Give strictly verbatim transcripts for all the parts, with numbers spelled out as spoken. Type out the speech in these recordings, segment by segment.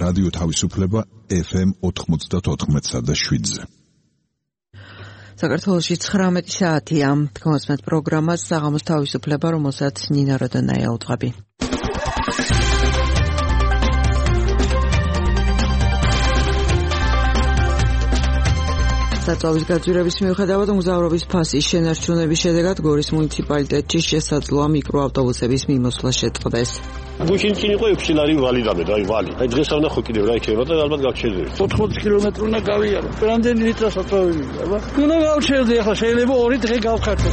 რადიო თავისუფლება ეფ ემ ოთხმოცდაოთხ და შვიდზე. საქართველოში ცხრამეტი საათია. თქოსმეთ პროგრამას საღამოს თავისუფლება, რომელსაც ნინა როდონაია უძღვები. საწვავის გაძვირების მიუხედავად მგზავრობის ფასის შენარჩუნების შედეგად გორის მუნიციპალიტეტში შესაძლოა მიკროავტობუსების მიმოსვლა შეწყდეს. გუშინ წინ იყო ექვსი ლარი ვალი დამედ, აი ვალი. აი დღეს არ ნახო კიდევ რა იქნება და ალბათ გავჩერდები. ოთხმოცი კილომეტრი უნდა გავიარო. რამდენი ლიტრი საწვავია, აბა? უნდა გავჩერდე ახლა, შეიძლება ორი დღე გავხარდე.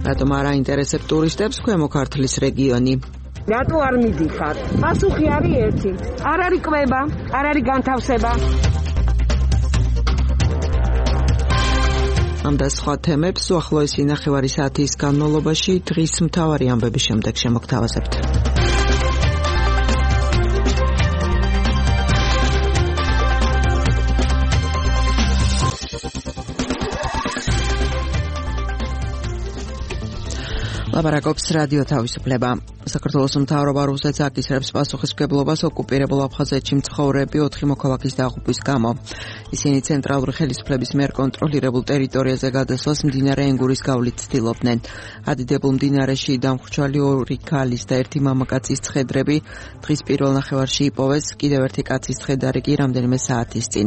რატომ არ აინტერესებს ტურისტებს ქვემო ქართლის რეგიონი? რატო არ მიდიხარ? პასუხი არის ერთი. არ არის კვება, არ არის განთავსება. ამ და სხვა თემებს უახლოესი ნახევარი საათის განმავლობაში დღის მთავარი ამბების შემდეგ შემოგთავაზებთ. ლაპარაკობს რადიო თავისუფლება. საქართველოს მთავრობა რუსეთს აკისრებს პასუხისმგებლობას ოკუპირებულ აფხაზეთში მცხოვრები ოთხი მოქალაქის დაღუპვის გამო. ისინი ცენტრალური ხელისუფლების მიერ კონტროლირებულ ტერიტორიაზე გადასვლას მდინარე ენგურის გავლით ცდილობდნენ. ადიდებულ მდინარეში დამხრჩვალი ორი ქალის და ერთი მამაკაცის ცხედრები დღის პირველ ნახევარში იპოვეს, კიდევ ერთი კაცის ცხედარი კი რამდენიმე საათის წინ.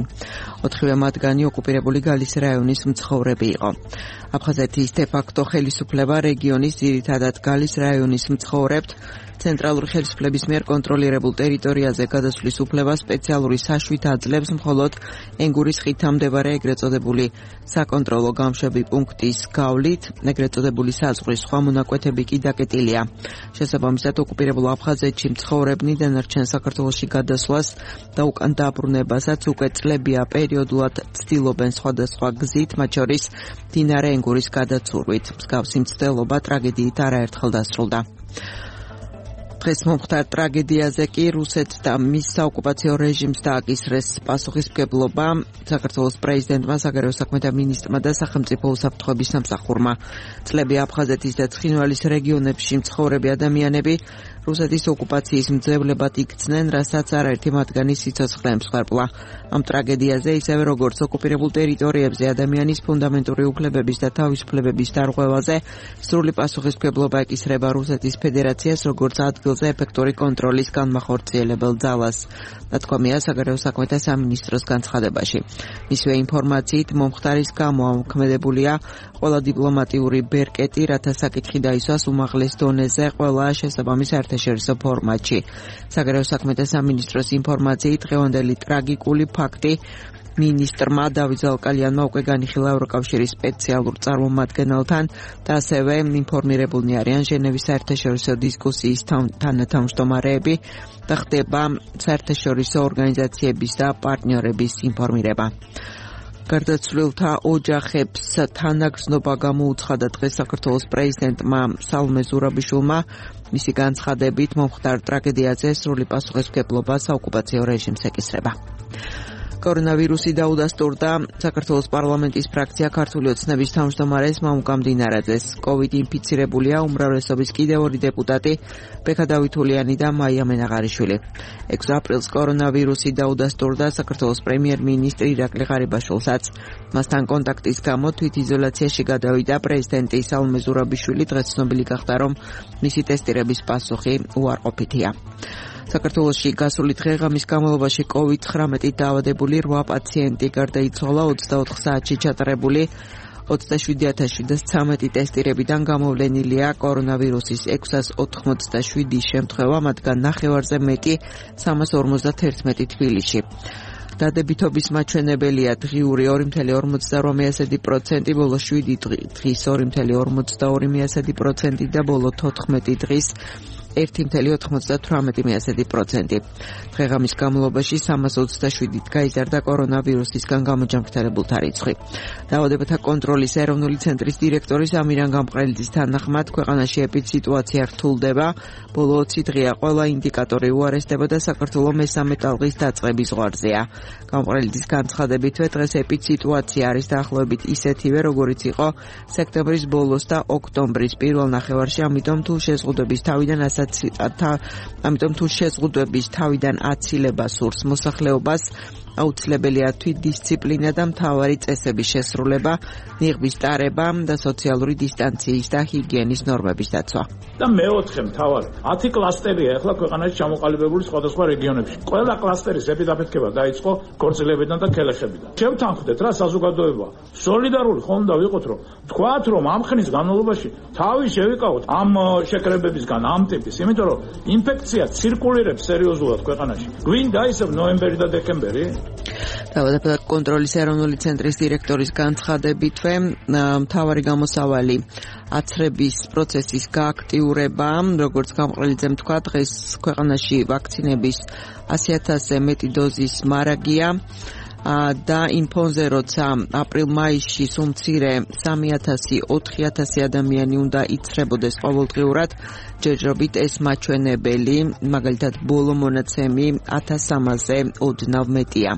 ოთხივე მათგანი ოკუპირებული გალის რაიონის მცხოვრები იყო. აფხაზეთის დე-ფაქტო ხელისუფლება რეგიონის ძირითადად გალის რაიონის მცხოვრებთ ცენტრალური ხელისუფლების მიერ კონტროლირებულ ტერიტორიაზე გადასვლის უფლებას სპეციალური საშვით აძლევს მხოლოდ ენგურის ხიდთან მდებარე ეგრეთ წოდებული საკონტროლო გამშვები პუნქტის გავლით, ეგრეთ წოდებული საზღვრის სხვა მონაკვეთები კი დაკეტილია. შესაბამისად, ოკუპირებულ აფხაზეთში მცხოვრებნი დანარჩენ საქართველოში გადასვლას და უკან დაბრუნებასაც უკვე წლებია პერიოდულად ცდილობენ სხვადასხვა გზით, მათ შორის მდინარე ენგურის გადაცურვით. მსგავსი მცდელობა ტრაგედიით არაერთხელ დასრულდა. დღეს მომხდარ ტრაგედიაზე კი რუსეთს და მის საოკუპაციო რეჟიმს დააკისრეს პასუხისმგებლობა საქართველოს პრეზიდენტმა, საგარეო საქმეთა მინისტრმა და სახელმწიფო უსაფრთხოების სამსახურმა. წლები აფხაზეთის და ცხინვალის რეგიონებში მცხოვრები ადამიანები რუსეთის ოკუპაციის მძევლებად იქცნენ, რასაც არაერთი მათგანი სიცოცხლე ემსხვერპლა. ამ ტრაგედიაზე, ისევე როგორც ოკუპირებულ ტერიტორიებზე ადამიანის ფუნდამენტური უფლებების და თავისუფლებების დარღვევაზე, სრული პასუხისმგებლობა ეკისრება რუსეთის ფედერაციას, როგორც ადგილზე ეფექტური კონტროლის განმახორციელებელ ძალას. ნათქვამია საგარეო საქმეთა სამინისტროს განცხადებაში. მისივე ინფორმაციით, მომხდარის გამო ამოქმედებულია ყველა დიპლომატიური ბერკეტი, რათა საკითხი დაისვას უმაღლეს დონეზე ყველა შესაბამის საერთაშორისო ფორმატში. საგარეო საქმეთა სამინისტროს ინფორმაციით, დღევანდელი ტრაგიკული ფაქტი მინისტრმა დავით ზალკალიანმა უკვე განიხილა ევროკავშირის სპეციალურ წარმომადგენელთან და ასევე ინფორმირებულნი არიან ჟენევის საერთაშორისო დისკუსიის თანათავმჯდომარეები და ხდება საერთაშორისო ორგანიზაციების და პარტნიორების ინფორმირება. გარდაცვლილთა ოჯახებს თანაგრძნობა გამოუცხადა დღეს საქართველოს პრეზიდენტმა სალომე ზურაბიშვილმა. მისი განცხადებით, მომხდარ ტრაგედიაზე სრული პასუხისმგებლობა საოკუპაციო რეჟიმს ეკისრება. კორონავირუსი დაუდასტურდა საქართველოს პარლამენტის ფრაქცია ქართული ოცნების თავმჯდომარეს მამუკა მდინარაძეს. კოვიდ ინფიცირებულია უმრავლესობის კიდევ ორი დეპუტატი, ბექა დავითულიანი და მაია მენაღარიშვილი. ექვსი აპრილს კორონავირუსი დაუდასტურდა საქართველოს პრემიერ-მინისტრი ირაკლი ღარიბაშვილსაც. მასთან კონტაქტის გამო თვითიზოლაციაში გადავიდა პრეზიდენტი სალომე ზურაბიშვილი. დღეს ცნობილი გახდა, რომ მისი ტესტირების პასუხი უარყოფითია. საქართველოში გასული დღე-ღამის განმავლობაში კოვიდ ცხრამეტი დაავადებული რვა პაციენტი გარდაიცვალა, ოცდაოთხ საათში ჩატარებული ოცდაშვიდი ათას შვიდას ცხრამეტი ტესტირებიდან გამოვლენილია კორონავირუსის ექვსას ოთხმოცდაშვიდი შემთხვევა, მათგან ნახევარზე მეტი სამას ორმოცდაერთმეტი თბილისში. დადებითობის მაჩვენებელია დღიური ორი კoma ორმოცდაოთხ პროცენტი, ბოლო შვიდი დღის ორი კoma ორმოცდაორი პროცენტი და ბოლო თოთხმეტი დღის ერთი წელი ოთხმოცდათვრამეტი პროცენტი. დღეღამის განმავლობაში სამას ოცდაშვიდით გაიზარდა კორონავირუსისგან გამოჯანმრთელებულთა რიცხვი. დაავადებათა კონტროლის ეროვნული ცენტრის დირექტორის ამირან გამყრელიძის თანახმად ქვეყანაში ეპიდსიტუაცია რთულდება. ბოლო ოცი დღეა ყველა ინდიკატორი უარესდება და საქართველოს მესამე ტალღის დაწყების ზღვარზეა. გამყრელიძის განცხადებითვე დღეს ეპიდსიტუაცია არის დაახლოებით ისეთივე, როგორიც იყო სექტემბრის ბოლოს და ოქტომბრის პირველ ნახევარში, ამიტომ თუ შეზღუდვების თავიდან ასაცი ამიტომ თუ შეზღუდვების თავიდან აცილება სურს მოსახლეობას, აუცილებელია თვითდისციპლინა და მთავარი წესების შესრულება, ნიღბის ტარება და სოციალური დისტანციის და ჰიგიენის ნორმების დაცვა. და მეოთხე მთავარი ათი კლასტერია ახლა ქვეყანაში ჩამოყალიბებული სხვადასხვა რეგიონებში. ყველა კლასტერის ეპიდაფეთქება დაიწყო ქორწილებიდან და ქელეხებიდან. შევთანხმდეთ რა საზოგადოება სოლიდარული ხომ და ვიყოთ, რომ თქვათ, რომ ამ ხნის განმავლობაში თავი შევიკავოთ ამ შეკრებებისგან ამ ტიპის, იმიტომ რომ ინფექცია ცირკულირებს სერიოზულად ქვეყანაში. გვინდა ისევ ნოემბერი და დეკემბერი. დაავადებათა კონტროლის ეროვნული ცენტრის დირექტორის განცხადებითვე მთავარი გამოსავალი აცრების პროცესის გააქტიურება, როგორც გამყრელიძემ თქვა, დღეს ქვეყანაში ვაქცინების ასი ათასზე მეტი დოზის მარაგია და იმ ფონზე, როცა აპრილ-მაისში სულ მცირე სამი ათასი ოთხი ათასი ადამიანი უნდა იცრებოდეს ყოველდღიურად, ჯერჯერობით ეს მაჩვენებელი, მაგალითად ბოლო მონაცემი ათას სამასზე ოდნავ მეტია.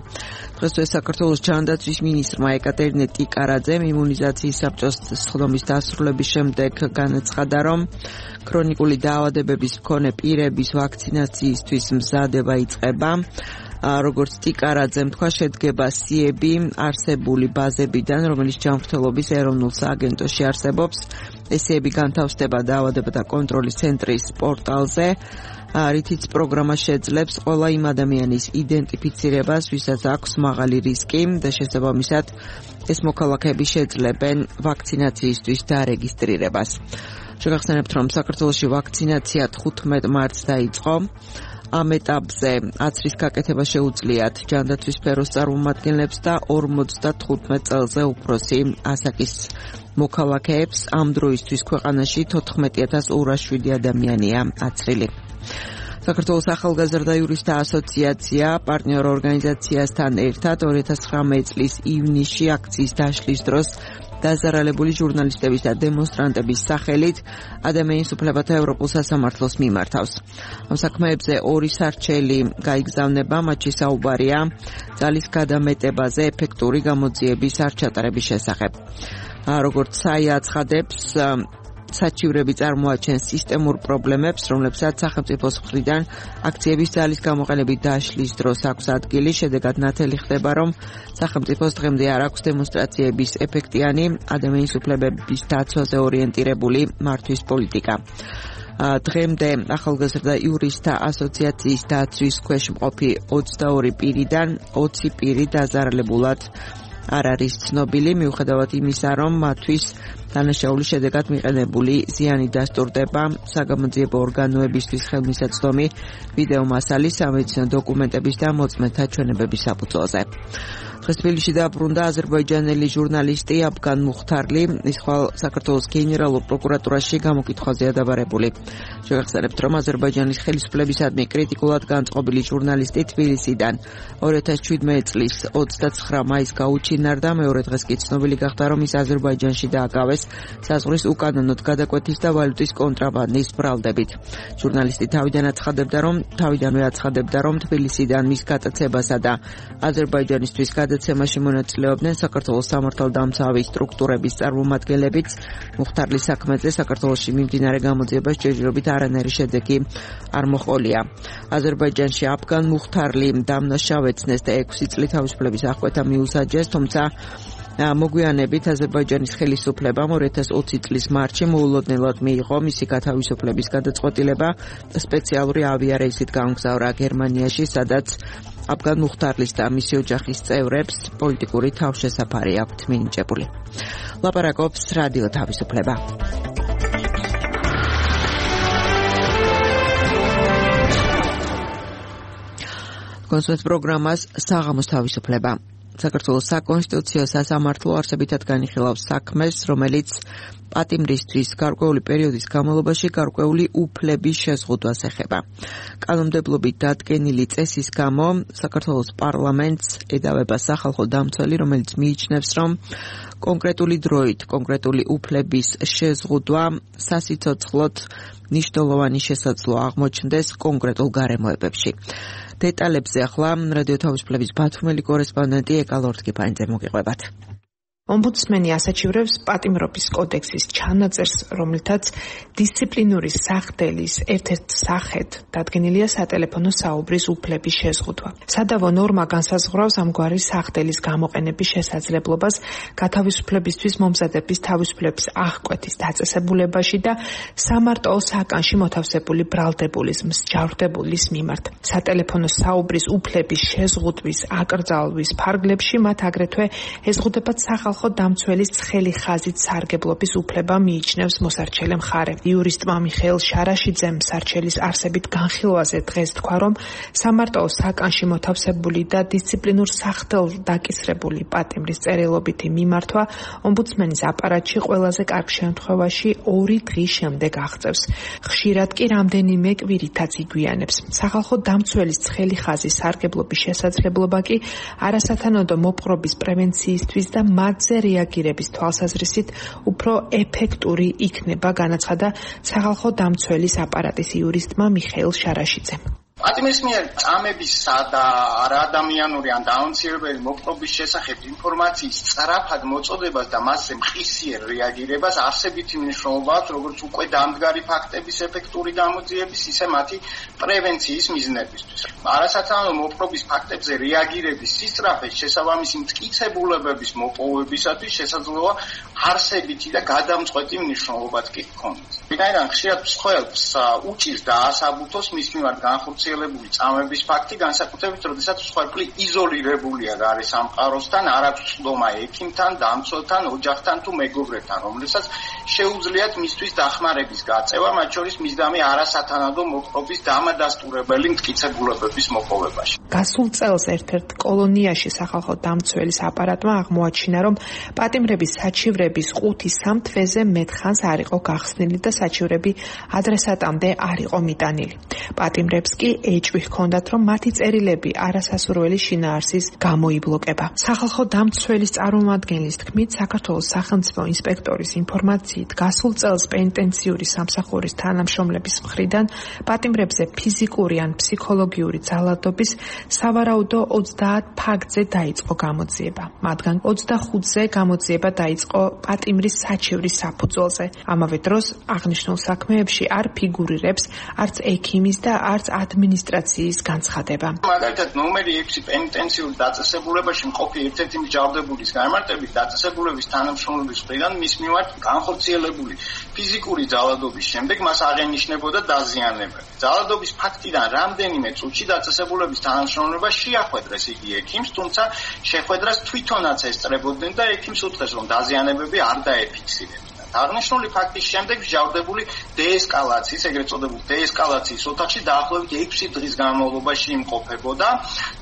დღესვე საქართველოს ჯანდაცვის მინისტრმა ეკატერინე ტიკარაძემ იმუნიზაციის საბჭოს სხდომის დასრულების შემდეგ განაცხადა, რომ ქრონიკული დაავადებების მქონე პირების ვაქცინაციისთვის მზადება იწყება. როგორც ტიკარაძემ თქვა, შედგება სიები არსებული ბაზებიდან, რომელიც ჯანმრთელობის ეროვნულ სააგენტოში არსებობს. ეს სიები განთავსდება დაავადებათა კონტროლის ცენტრის პორტალზე, რითიც პროგრამა შეძლებს ყველა იმ ადამიანის იდენტიფიცირებას, ვისაც აქვს მაღალი რისკი და შესაბამისად ეს მოქალაქეები შეძლებენ ვაქცინაციისთვის დარეგისტრირებას. შეგახსენებთ, რომ საქართველოში ვაქცინაცია თხუთმეტ მარტს დაიწყო. ამ ეტაპზე აცრის გაკეთება შეუძლიათ ჯანდაცვის სფეროს წარმომადგენლებს და ორმოცდათხუთმეტ წელზე უფროსი ასაკის მოქალაქეებს. ამ დროისთვის ქვეყანაში თოთხმეტი ათას ორას შვიდი ადამიანია აცრილი. საქართველოს ახალგაზრდა იურისტთა ასოციაცია პარტნიორ ორგანიზაციასთან ერთად ორი ათას ცხრამეტი წლის ივნისში აქციის დაშლის დროს დაზარალებული ჟურნალისტების და დემონსტრანტების სახელით ადამიანის უფლებათა ევროპულ სასამართლოს მიმართავს. ამ საქმეებზე ორი სარჩელი გაიგზავნება, მათში საუბარია ძალის გადამეტებაზე ეფექტური გამოძიების არ ჩატარების შესახებ. როგორც საია აცხადებს, საჩივრები წარმოაჩენს სისტემურ პრობლემებს, რომლებსაც სახელმწიფოს მხრიდან აქციების ძალის გამოყენებით დაშლის დროს აქვს ადგილი. შედეგად ნათელი ხდება, რომ სახელმწიფოს დღემდე არ აქვს დემონსტრაციების ეფექტიანი ადამიანის უფლებების დაცვაზე ორიენტირებული მართვის პოლიტიკა. დღემდე ახალგაზრდა იურისტთა ასოციაციის დაცვის ქვეშ მყოფი ოცდაორი პირიდან ოცი პირი დაზარალებულად არ არის ცნობილი, მიუხედავად იმისა, რომ მათთვის დანაშაულის შედეგად მიყენებული ზიანი დასტურდება. საგამოძიებო ორგანოებისთვის ხელმისაწვდომი ვიდეო მასალის, სამედიცინო დოკუმენტების და მოწმეთა ჩვენებების საფუძველზე. დღეს თბილისში დაბრუნდა აზერბაიჯანელი ჟურნალისტი აფგან მუხთარლი, ის ხვალ საქართველოს გენერალურ პროკურატურაში გამოკითხვაზეა დაბარებული. შეგახსენებთ, რომ აზერბაიჯანის ხელისუფლებისადმი კრიტიკულად განწყობილი ჟურნალისტი თბილისიდან ორი ათას შვიდმეტი წლის ოცდაცხრა მაისს გაუჩინარდა. მეორე დღეს კი ცნობილი გახდა, რომ ის აზერბაიჯანში დააკავეს საზღვრის უკანონოდ გადაკვეთის და ვალუტის კონტრაბანდის ბრალდებით. ჟურნალისტი თავიდან აცხადებდა, რომ თავიდანვე აცხადებდა, რომ თბილისიდან მის გატაცებასა და აზერბაიჯანისთვის გადაცემაში მონაწილეობდნენ საქართველოს სამართალდამცავი სტრუქტურების წარმომადგენლებიც. მუხთარლის საქმეზე საქართველოში მიმდინარე გამოძიებას ჯერჯერობით არანაირი შედეგი არ მოჰყოლია. აზერბაიჯანში აფგან მუხთარლი დამნაშავე ეცნეს და ექვსი წლით თავისუფლების აღკვეთა მიუსაჯეს, თუმცა მოგვიანებით აზერბაიჯანის ხელისუფლებამ ორი ათას ოცი წლის მარტში მოულოდნელად მიიღო მისი გათავისუფლების გადაწყვეტილება და სპეციალური ავიარეისით გაამგზავრა გერმანიაში, სადაც აფგან მუხთარლის და მისი ოჯახის წევრებს პოლიტიკური თავშესაფარი აქვთ მინიჭებული. ლაპარაკობს რადიო თავისუფლება. კონსულტ პროგრამას საღამოს თავისუფლება. საქართველოს საკონსტიტუციო სასამართლო არსებითად განიხილავს საქმეს, რომელიც პატიმრისთვის გარკვეული პერიოდის განმავლობაში გარკვეული უფლების შეზღუდვას ეხება. კანონმდებლობით დადგენილი წესის გამო საქართველოს პარლამენტს ედავება სახალხო დამცველი, რომელიც მიიჩნევს, რომ კონკრეტული დროით კონკრეტული უფლების შეზღუდვა სასიცოცხლოდ მნიშვნელოვანი შესაძლო აღმოჩნდეს კონკრეტულ გარემოებებში. დეტალებზე ახლა რადიო თავისუფლების ბათუმელი კორესპონდენტი ეკა ლორთგიფანიძე მოგიყვებათ. ომბუდსმენი ასაჩივრებს პატიმრობის კოდექსის ჩანაწერს, რომლითაც დისციპლინური სახდელის ერთ-ერთ სახედ დადგენილია სატელეფონო საუბრის უფლების შეზღუდვა. სადავო ნორმა განსაზღვრავს ამგვარი სახდელის გამოყენების შესაძლებლობას გათავისუფლებისთვის მომზადების თავისუფლების აღკვეთის დაწესებულებაში და სამარტოო საკანში მოთავსებული ბრალდებულის მსჯავრდებულის მიმართ. სატელეფონო საუბრის უფლების შეზღუდვის აკრძალვის ფარგლებში მათ აგრეთვე ეზღუდებათ სახალხო დამცველის ცხელი ხაზით სარგებლობის უფლება მიიჩნევს მოსარჩელე მხარე. იურისტმა მიხეილ შარაშიძემ სარჩელის არსებით განხილვაზე დღეს თქვა, რომ სამარტოო საკანში მოთავსებული და დისციპლინურ სახდელს დაკისრებული პატიმრის წერილობითი მიმართვა ომბუდსმენის აპარატში ყველაზე კარგ შემთხვევაში ორი დღის შემდეგ აღწევს. ხშირად კი რამდენიმე კვირითაც იგვიანებს. სახალხო დამცველის ცხელი ხაზის სარგებლობის შესაძლებლობა კი არასათანადო მოპყრობის პრევენციისთვის და მათ რეაგირების თვალსაზრისით უფრო ეფექტური იქნება, განაცხადა სახალხო დამცველის აპარატის იურისტმა მიხეილ შარაშიძემ. პატიმრის მიერ წამებისა და არაადამიანური ან დაუნცირებელი მოპყრობის შესახებ ინფორმაციის სწრაფად მოწოდებას და მასზე მხისიერ რეაგირებას არსებითი მნიშვნელობა აქვს, როგორც უკვე დამდგარი ფაქტების ეფექტური გამოძიების, ისე მათი პრევენციის მიზნებისთვის. არასათანადო მოპყრობის ფაქტებზე რეაგირების სისწრაფეს შესაბამისი მტკიცებულებების მოპოვებისათვის შესაძლოა არსებითი და გადამწყვეტი მნიშვნელობაც კი ჰქონდეს. ვინაიდან ხშირად მსხვერპლს უჭირს დაასაბუთოს მის მიმართ განხორციელებული წამების ფაქტი, განსაკუთრებით როდესაც მსხვერპლი იზოლირებულია გარე სამყაროსთან, არ აქვს ცდომა ექიმთან, დამცველთან, ოჯახთან თუ მეგობრებთან, რომელსაც შეუძლიათ მისთვის დახმარების გაწევა, მათ შორის მისდამი არასათანადო მოპყრობის დამადასტურებელი მტკიცებულებების მოპოვებაში. გასულ წელს ერთ-ერთ კოლონიაში სახალხო დამცველის აპარატმა აღმოაჩინა, რომ პატიმრების საჩივრების ყუთი სამ თვეზე მეტხანს არ იყო გახსნილი და საჩივრები ადრესატამდე არ იყო მიტანილი. პატიმრებს კი ეჭვი ჰქონდათ, რომ მათი წერილები არასასურველი შინაარსის გამოიბლოკება. სახალხო დამცველის წარმომადგენლის თქმით, საქართველოს სახელმწიფო ინსპექტორის ინფორმაციით გასულ წელს პენიტენციური სამსახურის თანამშრომლების მხრიდან პატიმრებზე ფიზიკური ან ფსიქოლოგიური ძალადობის სავარაუდო ოცდაათ ფაქტზე დაიწყო გამოძიება. მათგან ოცდახუთზე გამოძიება დაიწყო პატიმრის საჩივრის საფუძველზე. ამავე დროს აღნიშნულ საქმეებში არ ფიგურირებს არც ექიმის და არც ადმინისტრაციის განცხადება. მაგალითად, ნომერი ექვსი პენიტენციური დაწესებულებაში მყოფი ერთ-ერთი მსჯავრდებულის გამარტებით დაწესებულების თანამშრომლების მხრიდან მის მიმართ განხორციელებული ფიზიკური ძალადობის შემდეგ მას აღენიშნებოდა დაზიანება. ძალადობის ფაქტიდან რამდენიმე წუთში დაწესებულების თანამშრომლობა შეახვედრეს იგი ექიმს, თუმცა შეხვედრას თვითონაც ესწრებოდნენ და ექიმს უთხრეს, რომ დაზიანებები არ დაეფიქსირებინა. აღნიშნული ფაქტის შემდეგ მსჯავრდებული დეესკალაციის, ეგრეთ წოდებული დეესკალაციის ოთახში დაახლოებით ექვსი დღის განმავლობაში იმყოფებოდა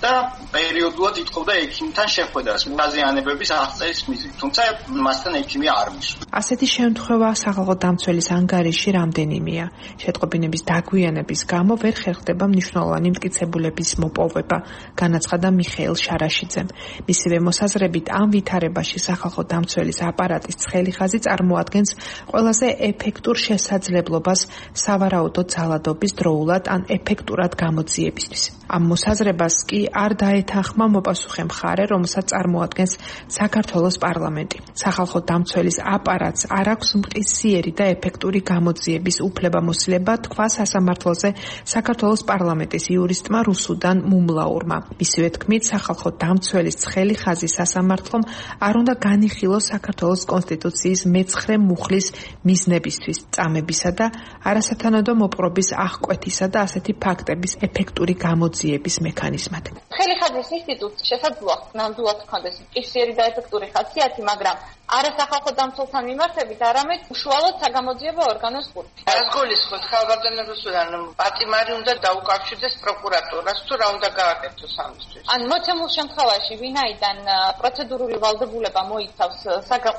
და პერიოდულად ითხოვდა ექიმთან შეხვედრას დაზიანებების აღწერის მიზნით, თუმცა მასთან ექიმი არ მისულა. ასეთი შემთხვევა სახალხო დამცველის ანგარიში რამდენიმეა. შეტყობინების დაგვიანების გამო ვერ ხერხდება მნიშვნელოვანი მტკიცებულების მოპოვება, განაცხადა მიხეილ შარაშიძემ. მისივე მოსაზრებით ამ ვითარებაში სახალხო დამცველის აპარატის ცხელი ხაზი წარმოადგენს ყველაზე ეფექტურ შესაძლებლობას სავარაუდო ძალადობის დროულად ან ეფექტურად გამოძიებისთვის. ამ მოსაზრებას კი არ დაეთანხმა მოპასუხე მხარე, რომელსაც წარმოადგენს საქართველოს პარლამენტი. სახალხო დამცველის აპარატს არ აქვს მყისიერი და ეფექტური გამოძიების უფლებამოსილება, თქვა სასამართლოზე საქართველოს პარლამენტის იურისტმა რუსუდან მუმლაურმა. მისივე თქმით, სახალხო დამცველის ცხელი ხაზი სასამართლომ არ უნდა განიხილოს საქართველოს კონსტიტუციის მეცხრე მუხლის მიზნებისთვის, წამებისა და არასათანადო მოპყრობის აღკვეთისა და ასეთი ფაქტების ეფექტური გამოძიების გამოძიების მექანიზმად. ხელიხაძის ინსტიტუტს შესაძლოა ნამდვილად ჰქონდეს მყისიერი და ეფექტური ხასიათი, მაგრამ არა სახალხო დამცველთან მიმართებით, არამედ უშუალოდ საგამოძიებო ორგანოს ხურფი. რას გულისხმობთ, ხალხმადანებისგან პატიმარი უნდა დაუკავშირდეს პროკურატურას, თუ რა უნდა გააკეთოს ამისთვის? ან მოცემულ შემთხვევაში, ვინაიდან პროცედურული ვალდებულება მოიცავს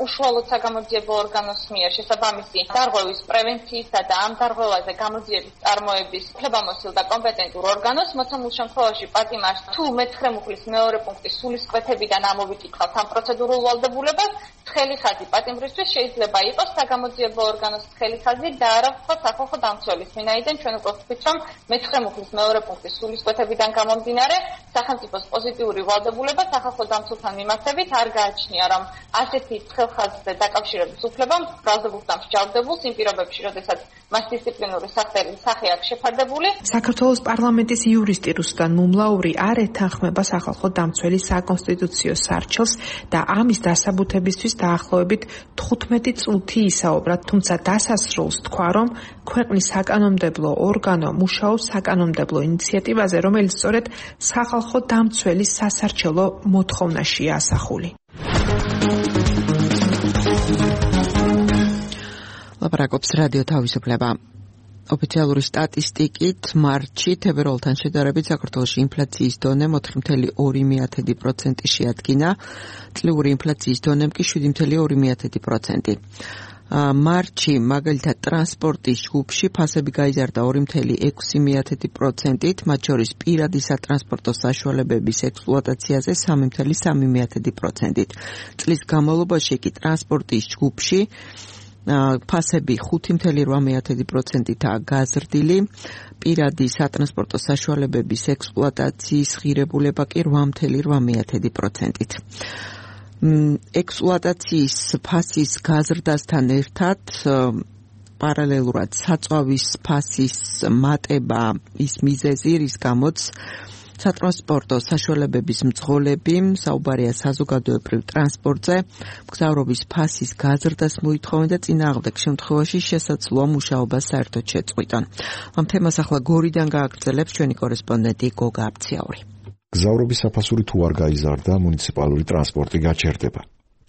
უშუალოდ საგამოძიებო ორგანოს მიერ შესაბამისი დარღვევის პრევენციისა და ამ დარღვევაზე გამოძიების წარმოების უფლებამოსილ და კომპეტენტურ ორგანოს, მოცემულ შემთხვევაში პატიმარს თუ მეცხრე მუხლის მეორე პუნქტის სულისკვეთებიდან ამოვიკითხავთ ამ პროცედურულ ვალდებულებას, თხელი ხაზი პატიმრისთვის შეიძლება იყოს საგამოძიებო ორგანოს თხელი ხაზი და არა ვთქვათ სახალხო დამცველის, ვინაიდან ჩვენ უკვე ვთქვით, რომ მეცხრე მუხლის მეორე პუნქტის სულისკვეთებიდან გამომდინარე სახელმწიფოს პოზიტიური ვალდებულება სახალხო დამცველთან მიმართებით არ გააჩნია, რომ ასეთი თხელხაზზე დაკავშირების უფლება ბრალდებულს და მსჯავრდებულს იმ პირობებში, როდესაც მას დისციპლინური სახდელი სახე აქვს შეფარდებული. საქართველოს პარლამენტის იურისტი რუსტან მუმლაური არ ეთანხმება სახალხო დამცველის საკონსტიტუციო სარჩელს და ამის დასაბუთებისთვის დაახლოებით თხუთმეტი წუთი ისაუბრა, თუმცა დასასრულს თქვა, რომ ქვეყნის საკანონმდებლო ორგანო მუშაობს საკანონმდებლო ინიციატივაზე, რომელიც სწორედ სახალხო დამცველის სასარჩელო მოთხოვნაშია ასახული. ლაპარაკობს რადიო თავისუფლება. ოფიციალური სტატისტიკით მარტში თებერვალთან შედარებით საქართველოში ინფლაციის დონე ოთხი წუთი ორი პროცენტი შეადგინა, წლიური ინფლაციის დონემ კი შვიდი წუთი ორი პროცენტი. მარტში მაგალითად ტრანსპორტის ჯგუფში ფასები გაიზარდა ორი წუთი ექვსი პროცენტით, მათ შორის პირადი სატრანსპორტო საშუალებების ექსპლუატაციაზე სამი წუთი სამი პროცენტით. წლის განმავლობაში კი ტრანსპორტის ჯგუფში ფასები ხუთი წუთი რვა პროცენტითაა გაზრდილი, პირადი სატრანსპორტო საშუალებების ექსპლუატაციის ღირებულება კი რვა წუთი რვა პროცენტით. ექსპლუატაციის ფასის გაზრდასთან ერთად პარალელურად საწვავის ფასის მატება ის მიზეზი, რის გამოც სატრანსპორტო საშუალებების მძღოლები, საუბარია საზოგადოებრივ ტრანსპორტზე, მგზავრობის ფასის გაზრდას მოითხოვენ და წინააღმდეგ შემთხვევაში შესაძლოა მუშაობა საერთოდ შეწყვიტონ. ამ თემას ახლა გორიდან გააგრძელებს ჩვენი კორესპონდენტი გოგა აბციაური. მგზავრობის საფასური თუ არ გაიზარდა, მუნიციპალური ტრანსპორტი გაჩერდება.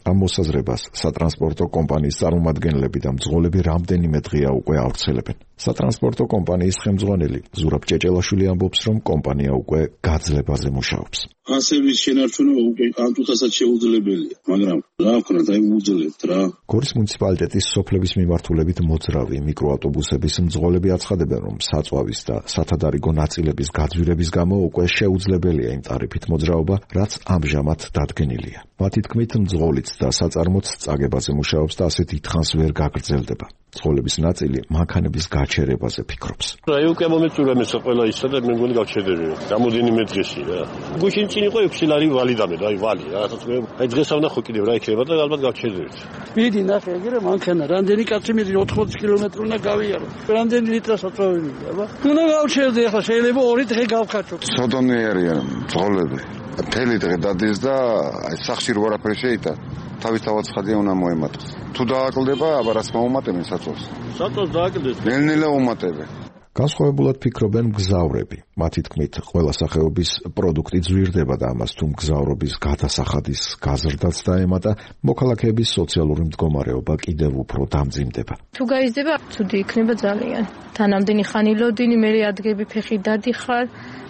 ამ მოსაზრებას სატრანსპორტო კომპანიის წარმომადგენლები და მძღოლები რამდენიმე დღეა უკვე ავრცელებენ. სატრანსპორტო კომპანიის ხელმძღვანელი ზურაბ ჭეჭელაშვილი ამბობს, რომ კომპანია უკვე გაძლებაზე მუშაობს. ფასების შენარჩუნება უკვე ამ წუთასაც შეუძლებელია, მაგრამ რა ვქნათ, აი უძლებთ რა. გორის მუნიციპალიტეტის სოფლების მიმართულებით მოძრავი მიკროავტობუსების მძღოლები აცხადებენ, რომ საწვავის და სათადარიგო ნაწილების გაძვირების გამო უკვე შეუძლებელია იმ ტარიფით მოძრაობა, რაც ამჟამად დადგენილია. მათი თქმით, მძღოლიც და საწარმოც წაგებაზე მუშაობს და ასეთ ითხოვს ვერ გაგრძელდება. მძღოლების ნაწილი მანქანების გაჩერებაზე ფიქრობს. აი უკვე მომეწურა მესა ყველა ისა და მე მგონი გავჩერდები. გამოდენიმე დღეში რა. გუშინ წინ იყო ექვსი ლარი ვალი დამედ, აი ვალი რა. აი დღეს ავნახო კიდევ რა იქნება და ალბათ გავჩერდებით. მიდი ნახე, ეგრე მანქანა, რამდენი კაცი მიდი ოთხმოცი კილომეტრი უნდა გავიარო. რამდენი ლიტრას აწვევი მიდი, აბა. უნდა გავჩერდე ახლა შეიძლება ორი დღე გავხაჭო. სოდომი არიან მძღოლები. მთელი დღე დადის და აი სახში რო არაფერი შეიტა. თავის თავად ხადია უნდა მოემატოს. თუ დააკლდება, აბა რაც მოუმატებენ საწოლს. საწოლს დააკლდეს. ნელ-ნელა უმატებენ. განსხვავებულად ფიქრობენ მგზავრები. მათი თქმით, ყველა სახეობის პროდუქტი ძვირდება და ამას თუ მგზავრობის გადასახადის გაზრდაც დაემატა, მოქალაქეების სოციალური მდგომარეობა კიდევ უფრო დამძიმდება. თუ გაიზრდება, ცუდი იქნება ძალიან. თანამდენი ხანი ლოდინი, მე ადგები ფეხი დადიხარ,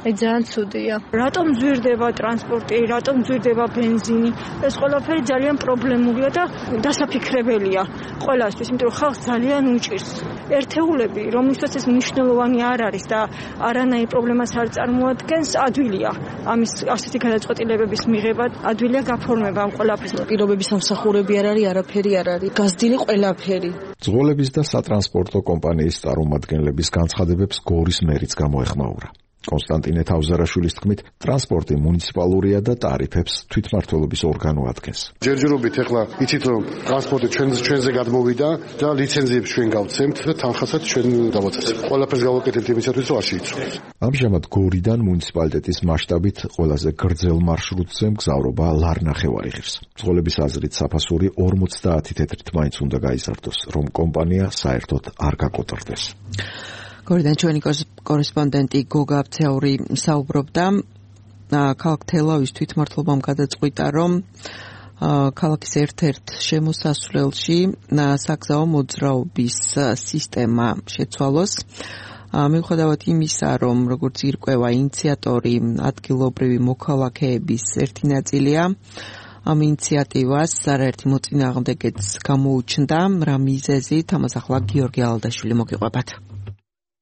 აი ძალიან ცუდია. რატომ ძვირდება ტრანსპორტი, რატომ ძვირდება ბენზინი? ეს ყველაფერი ძალიან პრობლემურია და დასაფიქრებელია ყველასთვის, იმიტომ რომ ხალხს ძალიან უჭირს. ერთეულები, რომლითაც ეს მნიშვნელოვანი არ არის და არანაირ პრობლემას არ წარმოადგენს, ადვილია. ამის ასეთი გადაწყვეტილებების მიღება ადვილია გაფორმება ამ ყველაფრის. პირობების ამსახურები არ არის, არაფერი არ არის. გაზრდილი ყველაფერი. მძღოლების და სატრანსპორტო კომპანიის წარმომადგენლების განცხადებებს გორის მერიც გამოეხმაურა. კონსტანტინე თავზარაშვილის თქმით, ტრანსპორტი მუნიციპალურია და ტარიფებს თვითმმართველობის ორგანო ადგენს. ჯერჯერობით ახლა იცით რომ ტრანსპორტი ჩვენ ჩვენზე გადმოვიდა და ლიცენზიებს ჩვენ გავცემთ და თანხასაც ჩვენ დავაწესებთ. ყველაფერს გავაკეთებთ იმისათვის რომ არ შეიცვალოს. ამჟამად გორიდან მუნიციპალიტეტის მასშტაბით ყველაზე გრძელ მარშრუტზე მგზავრობა ლარნახევარი ღირს. მძღოლების აზრით საფასური ორმოცდაათი თეთრით მაინც უნდა გაიზარდოს, რომ კომპანია საერთოდ არ გაკოტრდეს. გორიდან ჩვენი კორესპონდენტი გოგა აბცეური საუბრობდა ქალაქ თელავის თვითმმართველობამ გადაწყვიტა, რომ ქალაქის ერთ-ერთ შემოსასვლელში საგზაო მოძრაობის სისტემა შეცვალოს. მიუხედავად იმისა, რომ როგორც ირკვევა ინიციატორი ადგილობრივი მოქალაქეების ერთი ნაწილია, ამ ინიციატივას არაერთი მოწინააღმდეგეც გამოუჩნდა, რა მიზეზით, ამას ახლა გიორგი ალდაშვილი მოგიყვებათ.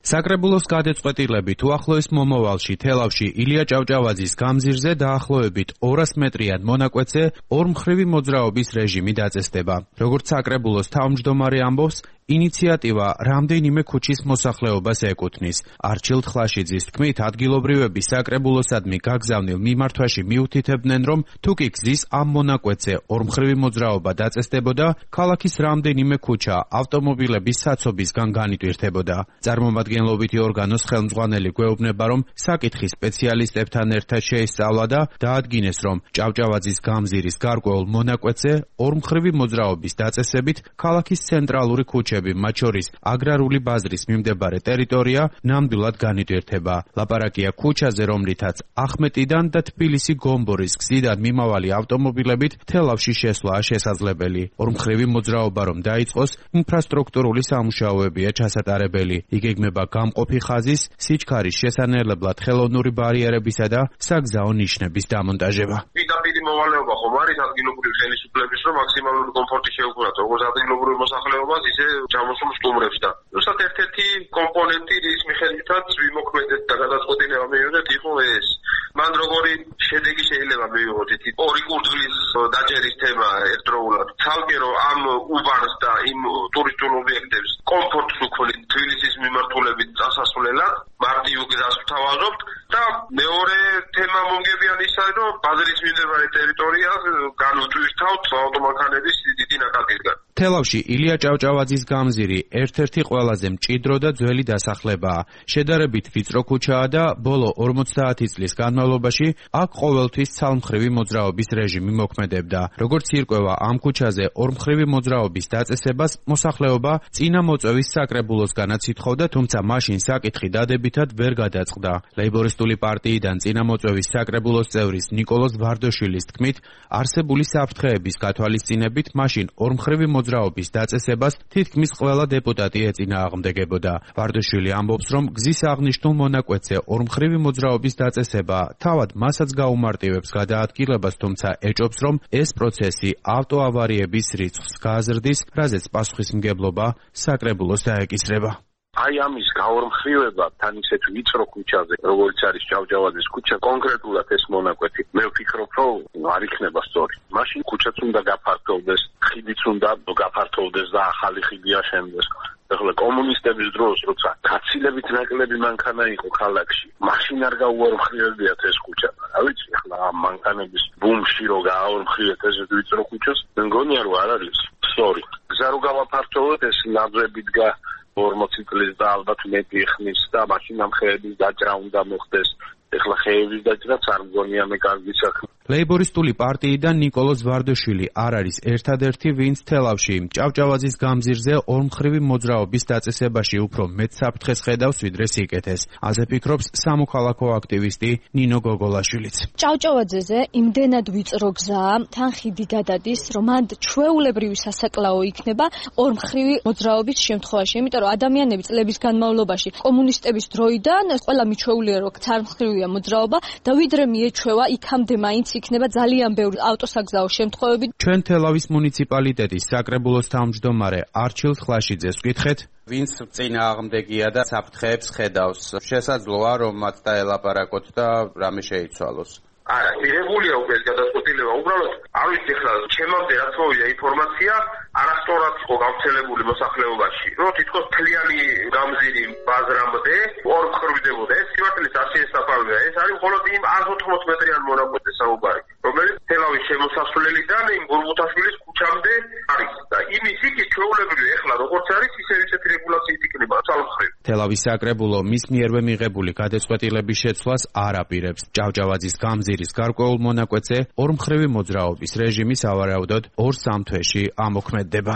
საკრებულოს გადაწყვეტილებით უახლოეს მომავალში თელავში ილია ჭავჭავაძის გამზირზე დაახლოებით ორას მეტრიან მონაკვეთზე ორმხრივი მოძრაობის რეჟიმი დაწესდება. როგორც საკრებულოს თავმჯდომარე ამბობს, ინიციატივა რამდენიმე ქუჩის მოსახლეობას ეკუთვნის. არჩილ ხლაშიძის თქმით, ადგილობრივები საკრებულოსადმი გაგზავნილ მიმართვაში მიუთითებდნენ, რომ თუკი გზის ამ მონაკვეთზე ორმხრივი მოძრაობა დაწესდებოდა, ქალაქის რამდენიმე ქუჩა ავტომობილების საცობისგან განიტვირთებოდა. წარმომადგენლობითი ორგანოს ხელმძღვანელი გვეუბნება, რომ საკითხი სპეციალისტებთან ერთად შეისწავლა და დაადგინეს, რომ ჭავჭავაძის გამზირის გარკვეულ მონაკვეთზე ორმხრივი მოძრაობის დაწესებით ქალაქის ცენტრალური ქუჩა მათ შორის აგრარული ბაზრის მიმდებარე ტერიტორია ნამდვილად განიტვირთება. ლაპარაკია ქუჩაზე, რომლითაც ახმეტიდან და თბილისი გომბორის გზიდან მიმავალი ავტომობილებით თელავში შესვლაა შესაძლებელი. ორმხრივი მოძრაობა რომ დაიწყოს, ინფრასტრუქტურული სამუშაოებია ჩასატარებელი. იგეგმება გამყოფი ხაზის, სიჩქარის შესანელებლად ხელოვნური ბარიერებისა და საგზაო ნიშნების დამონტაჟება. პირდაპირ მოვალეობა ხომ არის ადგილობრივი ხელისუფლების, რომ მაქსიმალური კომფორტი შეუქმნათ როგორც ადგილობრივ მოსახლეობას, ისე ჩამოსულ სტუმრებს და უბრალოდ ერთ-ერთი კომპონენტი რის მიხედვითაც ვიმოქმედეთ და გადაწყვეტილება მივიღეთ იყო ეს. მან როგორი შედეგი შეიძლება მივიღოთ ითი ორი კურდღლის დაჭერის თემა ერთდროულად. ცალკე რომ ამ უბანს და იმ ტურისტულ ობიექტებს კომფორტს უქმნით თბილისის მიმართულებით წასასვლელად, მარტივ გზას ვთავაზობთ და მეორე თემა მომგებიან ისაა, რომ ბაზრის მიმდებარე ტერიტორიას განვტვირთავთ ავტომანქანების დიდი ნაკადისგან. თელავში ილია ჭავჭავაძის გამზირი ერთ-ერთი ყველაზე მჭიდრო და ძველი დასახლებაა. შედარებით ვიწრო ქუჩაა და ბოლო ორმოცდაათი წლის განმავლობაში აქ ყოველთვის ცალმხრივი მოძრაობის რეჟიმი მოქმედებდა. როგორც ირკვევა, ამ ქუჩაზე ორმხრივი მოძრაობის დაწესებას მოსახლეობა წინა მოწვევის საკრებულოსგანაც ითხოვდა, თუმცა მაშინ საკითხი დადებითად ვერ გადაწყდა. ლეიბორისტული პარტიიდან წინა მოწვევის საკრებულოს წევრის ნიკოლოზ ვარდოშვილის თქმით, არსებული საფრთხეების გათვალისწინებით მაშინ ორმხრივი მოძრაობის დაწესებას თითქმის ყველა დეპუტატი ეწინააღმდეგებოდა. ვარდოშვილი ამბობს, რომ გზის აღნიშნულ მონაკვეთზე ორმხრივი მოძრაობის დაწესება თავად მასაც გაუმარტივებს გადაადგილებას, თუმცა ეჭობს, რომ ეს პროცესი ავტოავარიების რიცხვს გააზრდის, რაზეც პასუხისმგებლობა საკრებულოს დაეკისრება. აი ამის გაორმხრივება თან ისეთ ვიწრო ქუჩაზე, როგორც არის ჭავჭავაძის ქუჩა, კონკრეტულად ეს მონაკვეთი, მე ვფიქრობ, რომ არ იქნება სწორი. მაშინ ქუჩაც უნდა გაფართოვდეს, ხიდიც უნდა გაფართოვდეს და ახალი ხიდი აშენდეს. ეხლა კომუნისტების დროს, როცა კაცილებით ნაკლები მანქანა იყო ქალაქში, მაშინ არ გაუარმხრივებიათ ეს ქუჩა. რა ვიცი, ეხლა ამ მანქანების ბუმში რო გააორმხრივეთ ეს ვიწრო ქუჩას, მე მგონია რომ არ არის სწორი. გზა რო გავაფართოვოთ, ეს ნაძვები დგა ორმოცი წლის და ალბათ მეტი ხნის და მაშინ ამ ხეების დაჭრა უნდა მოხდეს. ეხლა ხეების დაჭრაც არ მგონია მე კარგი საქმე. ლეიბორისტული პარტიიდან ნიკოლოზ ვარდოშვილი არ არის ერთადერთი, ვინც თელავში ჭავჭავაძის გამზირზე ორმხრივი მოძრაობის დაწესებაში უფრო მეტ საფრთხეს ხედავს, ვიდრე სიკეთეს. ასე ფიქრობს სამოქალაქო აქტივისტი ნინო გოგოლაშვილიც. ჭავჭავაძეზე იმდენად ვიწრო გზაა, თან ხიდი გადადის, რომ მან ჩვეულებრივი სასაკლაო იქნება ორმხრივი მოძრაობის შემთხვევაში, იმიტომ რომ ადამიანები წლების განმავლობაში კომუნისტების დროიდან ყველა მიჩვეულია, რომ ცალმხრივია მოძრაობა და ვიდრე მიეჩვევა, იქამდე მაინც იქნება ძალიან ბევრი ავტოსაგზაო შემთხვევები. ჩვენ თელავის მუნიციპალიტეტის საკრებულოს თავმჯდომარე არჩილ ხლაშიძეს ვკითხეთ, ვინც წინააღმდეგია და საფრთხეებს ხედავს. შესაძლოა რომ მათ დაელაპარაკოთ და რამე შეიცვალოს. არა, მიღებულია უკვე ეს გადაწყვეტილება, უბრალოდ არ ვიცი ახლა ჩემამდე რაც მოვიდა ინფორმაცია, არასწორად იყო გავრცელებული მოსახლეობაში, რომ თითქოს მთლიანი გამზირი ბაზრამდე ორმხრივდებოდა. ეს სიკვდილის არ შეესაბამება. ეს არის მხოლოდ იმ ას ოთხმოცი მეტრიან მონაკვეთზე საუბარი, რომელიც თელავის შემოსასვლელიდან იმ გურგუთაშვილის ქუჩამდე არის და იმის იქ ჩვეულებრივი ახლა როგორც არის, ისე ისეთი რეგულაციით იქნება ცალმხრივ. თელავის საკრებულო მის მიერვე მიღებული გადაწყვეტილების შეცვლას არ აპირებს. ჭავჭავაძის გამზირის გარკვეულ მონაკვეთზე ორმხრივი მოძრაობის რეჟიმი სავარაუდოდ ორ-სამ თვეში ამოქმედდება.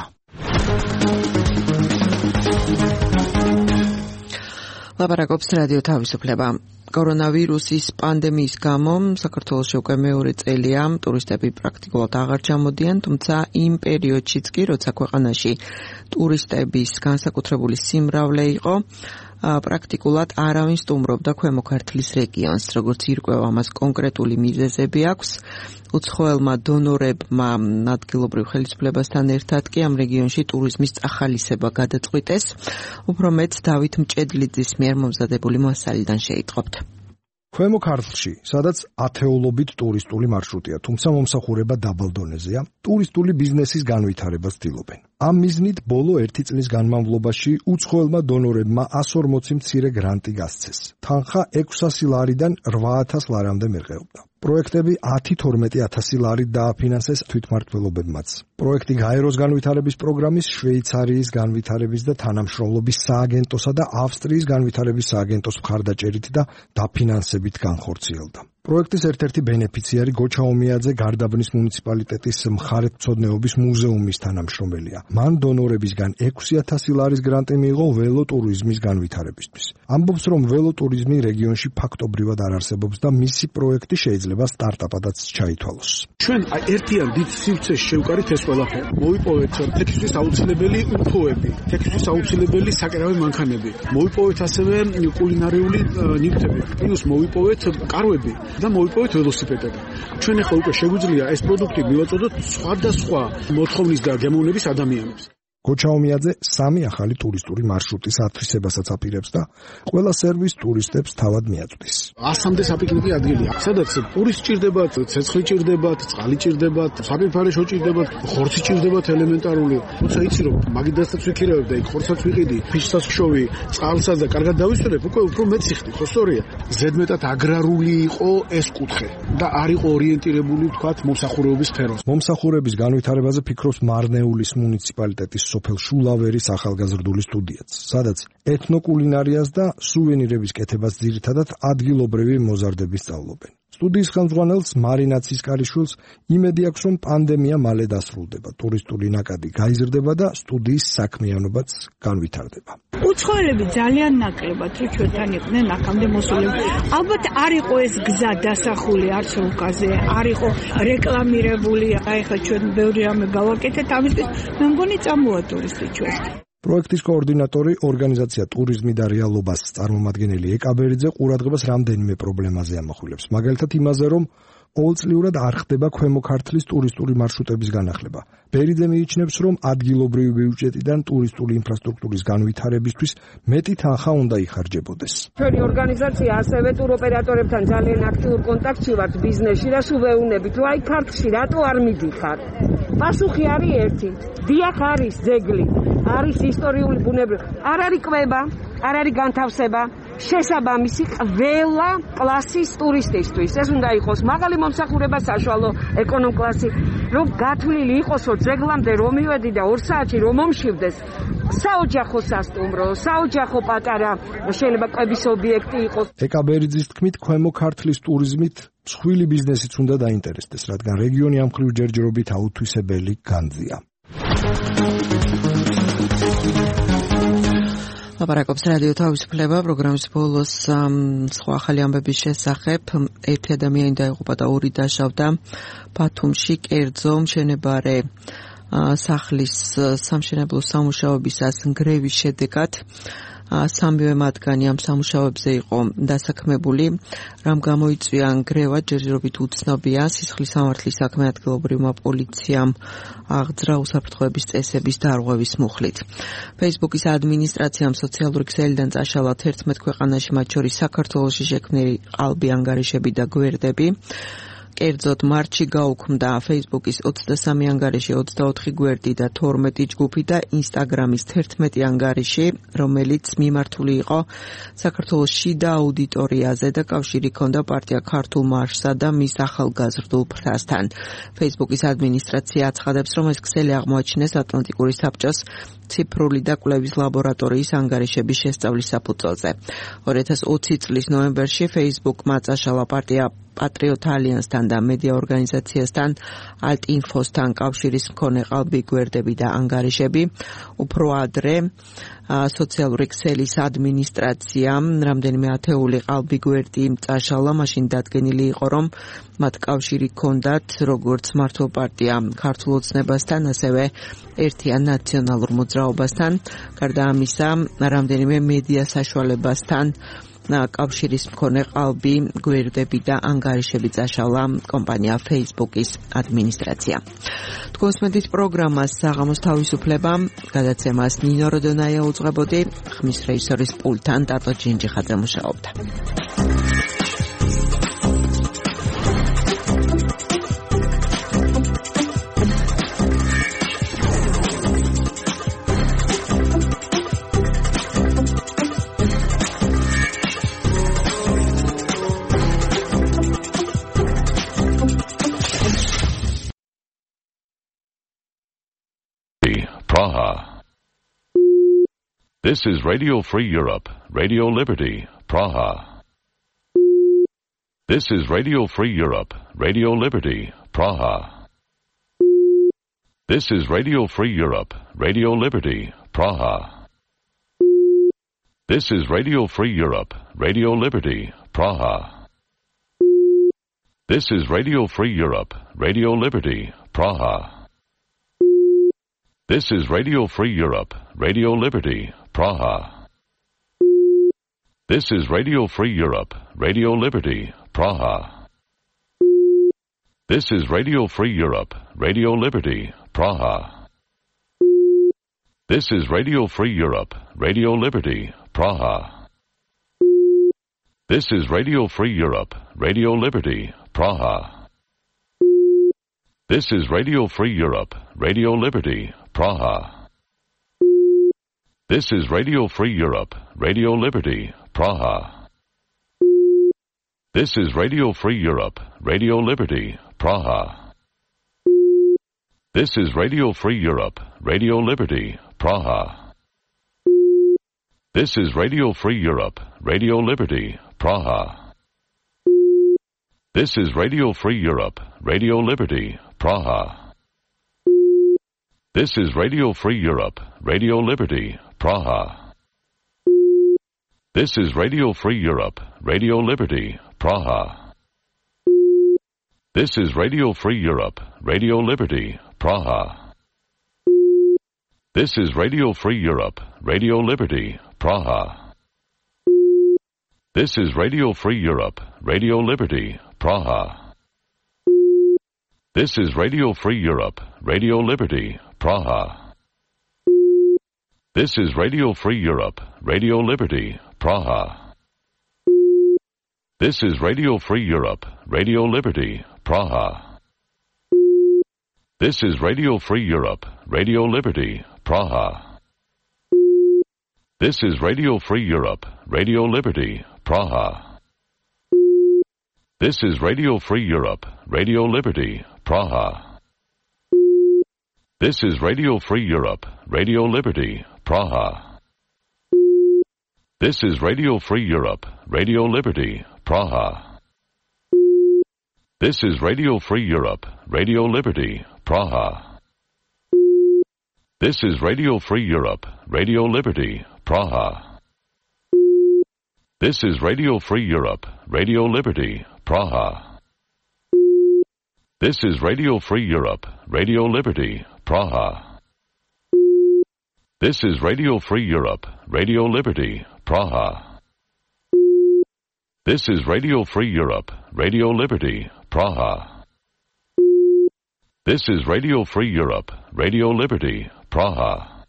ლაპარაკობს რადიო თავისუფლება. კორონავირუსის პანდემიის გამო საქართველოში უკვე მეორე წელია ტურისტები პრაქტიკულად აღარ ჩამოდიან, თუმცა იმ პერიოდშიც კი, როცა ქვეყანაში ტურისტების განსაკუთრებული სიმრავლე იყო, პრაქტიკულად არავინ სტუმრობდა ქვემო ქართლის რეგიონს, როგორც ირკვევა ამას კონკრეტული მიზეზები აქვს. უცხოელმა დონორებმა ადგილობრივ ხელისუფლებასთან ერთად კი ამ რეგიონში ტურიზმის წახალისება გადაწყვიტეს. უფრო მეტ დავით მჭედლიძის მიერ მომზადებული მასალიდან შეიტყობთ. ქვემო ქართლში, სადაც ათეულობით ტურისტული მარშრუტია, თუმცა მომსახურება დაბალ დონეზეა, ტურისტული ბიზნესის განვითარებას ცდილობენ. ამ მიზნით ბოლო ერთი წლის განმავლობაში უცხოელმა დონორებმა εκατს ორმოცი მცირე გრანტი გასცეს. თანხა ექვსასი ლარიდან რვა ათას ლარამდე მერყეობდა. პროექტები ათი თორმეტი ათასი ლარით დააფინანსეს თვითმმართველობებმაც. პროექტი გაეროს განვითარების პროგრამის, შვეიცარიის განვითარების და თანამშრომლობის სააგენტოსა და ავსტრიის განვითარების სააგენტოს მხარდაჭერით და დაფინანსებით განხორციელდა. პროექტის ერთ-ერთი ბენეფიციარი გოჩა ომიაძე გარდაბნის მუნიციპალიტეტის მხარეთმცოდნეობის მუზეუმის თანამშრომელია. მან დონორებისგან ექვსი ათასი ლარის გრანტი მიიღო ველოტურიზმის განვითარებისთვის. ამბობს, რომ ველოტურიზმი რეგიონში ფაქტობრივად არ არსებობს და მისი პროექტი შეიძლება სტარტაპადაც ჩაითვალოს. ჩვენ ერთიან დიდ სივრცეში შევკარით ეს ყველაფერი. მოვიპოვეთ ტექნიკის აუცილებელი უფოები, ტექნიკის აუცილებელი საკრავი მანქანები. მოვიპოვეთ ასევე კულინარიული ნივთები. პლუს მოვიპოვეთ კარვები და მოვიპოვეთ ველოსიპედები. ჩვენ ახლა უკვე შეგვიძლია ეს პროდუქტი მივაწოდოთ სხვადასხვა მოთხოვნის და გემოვნების ადამიანებს. გოჩა ომიაძე სამი ახალი ტურისტული მარშრუტის ათვისებასაც აპირებს და ყველა სერვის ტურისტებს თავად მიაწვდის. ასამდე საპიკნიკე ადგილია, სადაც პური სჭირდებათ, ცეცხლი სჭირდებათ, წყალი სჭირდებათ, საფირფარეშო სჭირდებათ, ხორცი სჭირდებათ ელემენტარული. თუმცა იცი რომ მაგიდასაც ვიქირავებ და იქ ხორცსაც ვიყიდი, ფიშსაც ვშოვი, წყალსაც და კარგად დავისწრებ, უკვე უფრო მეცი ხდი, ხო სწორია. ზედმეტად აგრარული იყო ეს კუთხე და არ იყო ორიენტირებული ვთქვათ მომსახურების სფეროს. მომსახურების განვითარებაზე ფიქრობს მარნეულის მუნიციპალიტეტის სოფელ შულავერის ახალგაზრდული სტუდიაც, სადაც ეთნოკულინარიას და სუვენირების კეთებას ძირითადად ადგილობრივი მოზარდები სწავლობენ. სტუდიის ხელმძღვანელს მარინა ცისკარიშვილს იმედი აქვს, რომ პანდემია მალე დასრულდება, ტურისტული ნაკადი გაიზრდება და სტუდიის საქმიანობაც განვითარდება. უცხოელები ძალიან ნაკლებად რო ჩვენთან იყვნენ აქამდე მოსულები. ალბათ არ იყო ეს გზა დასახული არც რუკაზე, არ იყო რეკლამირებული. აი ხა ჩვენ ბევრი რამე გავაკეთეთ, ამისთვის მე მგონი წამოვა ტურისტი ჩვენთან. პროექტის კოორდინატორი, ორგანიზაცია ტურიზმი და რეალობას წარმომადგენელი ეკაბერიძე ყურადღებას რამდენიმე პრობლემაზე ამახვილებს. მაგალითად იმაზე, რომ ყოველწლიურად არ ხდება ქვემო ქართლის ტურისტული მარშრუტების განახლება. ბერიძე მიიჩნევს, რომ ადგილობრივი ბიუჯეტიდან ტურისტული ინფრასტრუქტურის განვითარებისთვის მეტი თანხა უნდა იხარჯებოდეს. ჩვენი ორგანიზაცია ასევე ტუროპერატორებთან ძალიან აქტიურ კონტაქტში ვართ ბიზნესში და სუვეუნებით, რომ აი ქართლში რატო არ მიდიხარ? პასუხი არის ერთი. დიახ, არის ძეგლი, არის ისტორიული ბუნებრივი, არ არის კვება, არ არის განთავსება. შესაბამისი ყველა კლასის ტურისტისთვის. ეს უნდა იყოს მაღალი მომსახურება, საშუალო ეკონომ კლასი, რომ გათვლილი იყოს, რომ ძეგლამდე რომ მივედი და ორ საათში რომ მომშივდეს. საოჯახო სასტუმრო, საოჯახო პატარა შეიძლება კვების ობიექტი იყოს. ეკაბერიძის თქმით, ქვემო ქართლის ტურიზმით მსხვილი ბიზნესიც უნდა დაინტერესდეს, რადგან რეგიონი ამ მხრივ ჯერჯერობით აუთვისებელი განძია. ლაპარაკობს რადიო თავისუფლება, პროგრამის ბოლოს სხვა ახალი ამბების შესახებ. ერთი ადამიანი დაიღუპა და ორი დაშავდა ბათუმში კერძო მშენებარე სახლის სამშენებლო სამუშაოებისას ნგრევის შედეგად. სამივე მათგანი ამ სამუშაოებზე იყო დასაქმებული, რამ გამოიწვია ნგრევა ჯერჯერობით უცნობია. სისხლის სამართლის საქმე ადგილობრივმა პოლიციამ აღძრა უსაფრთხოების წესების დარღვევის მუხლით. Facebook-ის ადმინისტრაციამ სოციალური ქსელიდან წაშალა თერთმეტ ქვეყანაში, მათ შორის საქართველოში შექმნილი ყალბი ანგარიშები და გვერდები. კერძოდ მარტში გაუქმდა Facebook-ის ოცდასამი ანგარიში, ოცდაოთხი გვერდი და თორმეტი ჯგუფი და Instagram-ის თერთმეტი ანგარიში, რომელიც მიმართული იყო საქართველოს შიდა აუდიტორიაზე და კავშირი ჰქონდა პარტია ქართულ მარშსა და მის ახალგაზრდულ ფრთასთან. Facebook-ის ადმინისტრაცია აცხადებს, რომ ეს ქსელი აღმოაჩინეს ატლანტიკური საბჭოს ციფრული და კვლევის ლაბორატორიის ანგარიშების შესწავლის საფუძველზე. ორი ათას ოცი წლის ნოემბერში Facebook-მა წაშალა პარტია პატრიოტ ალიანსთან და მედია ორგანიზაციასთან ალტინფოსთან კავშირის მქონე ყალბი გვერდები და ანგარიშები. უფრო ადრე სოციალური ქსელის ადმინისტრაციამ რამდენიმე ათეული ყალბი გვერდი წაშალა, მაშინ დადგენილი იყო, რომ მათ კავშირი ჰქონდათ როგორც მართლ პარტია ქართულ ოცნებასთან, ასევე ერთიან ნაციონალურ მოძრაობასთან. გარდა ამისა, რამდენიმე მედია საშუალებასთან კავშირის მქონე ყალბი გვერდები და ანგარიშები წაშალა კომპანია Facebook-ის ადმინისტრაცია. თქვენს მედიის პროგრამას საღამოს თავისუფლება გადაცემას ნინო როდონაია უძღვებოდი, ხმის რეჟისორის პულტთან ტატო ჯინჯიხაძე მუშაობდა. Praha. This is Radio Free Europe, Radio Liberty, Praha. This is Radio Free Europe, Radio Liberty, Praha. This is Radio Free Europe, Radio Liberty, Praha. This is Radio Free Europe, Radio Liberty, Praha. This is Radio Free Europe, Radio Liberty, Praha. This is Radio Free Europe, Radio Liberty, Praha. This is Radio Free Europe, Radio Liberty, Praha. This is Radio Free Europe, Radio Liberty, Praha. This is Radio Free Europe, Radio Liberty, Praha. This is Radio Free Europe, Radio Liberty, Praha. This is Radio Free Europe, Radio Liberty, Praha. This is Radio Free Europe, Radio Liberty, Praha. This is Radio Free Europe, Radio Liberty, Praha. This is Radio Free Europe, Radio Liberty, Praha. This is Radio Free Europe, Radio Liberty, Praha. This is Radio Free Europe, Radio Liberty, Praha. This is Radio Free Europe, Radio Liberty, Praha. This is Radio Free Europe, Radio Liberty, Praha. This is Radio Free Europe, Radio Liberty, Praha. This is Radio Free Europe, Radio Liberty, Praha. This is Radio Free Europe, Radio Liberty, Praha. This is Radio Free Europe, Radio Liberty, Praha. This is Radio Free Europe, Radio Liberty, Praha. This is Radio Free Europe, Radio Liberty, Praha. This is Radio Free Europe, Radio Liberty, Praha. This is Radio Free Europe, Radio Liberty, Praha. This is Radio Free Europe, Radio Liberty, Praha. This is Radio Free Europe, Radio Liberty, Praha. This is Radio Free Europe, Radio Liberty, Praha. This is Radio Free Europe, Radio Liberty, Praha. This is Radio Free Europe, Radio Liberty, Praha. This is Radio Free Europe, Radio Liberty, Praha. This is Radio Free Europe, Radio Liberty, Praha. This is Radio Free Europe, Radio Liberty, Praha. This is Radio Free Europe, Radio Liberty, Praha. This is Radio Free Europe, Radio Liberty, Praha.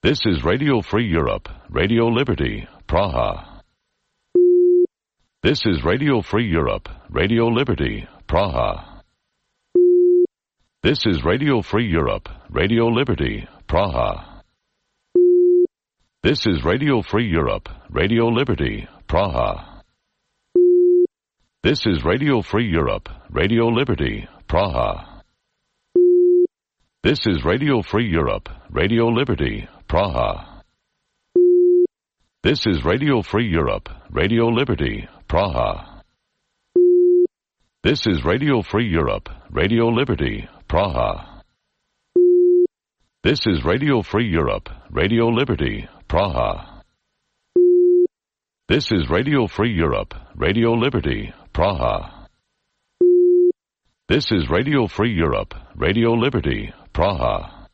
This is Radio Free Europe, Radio Liberty, Praha. This is Radio Free Europe, Radio Liberty, Praha. This is Radio Free Europe, Radio Liberty, Praha. This is Radio Free Europe, Radio Liberty, Praha. This is Radio Free Europe, Radio Liberty, Praha. This is Radio Free Europe, Radio Liberty, Praha. This is Radio Free Europe, Radio Liberty, Praha. This is Radio Free Europe, Radio Liberty, Praha. This is Radio Free Europe, Radio Liberty, Praha. This is Radio Free Europe, Radio Liberty, Praha. This is Radio Free Europe, Radio Liberty, Praha.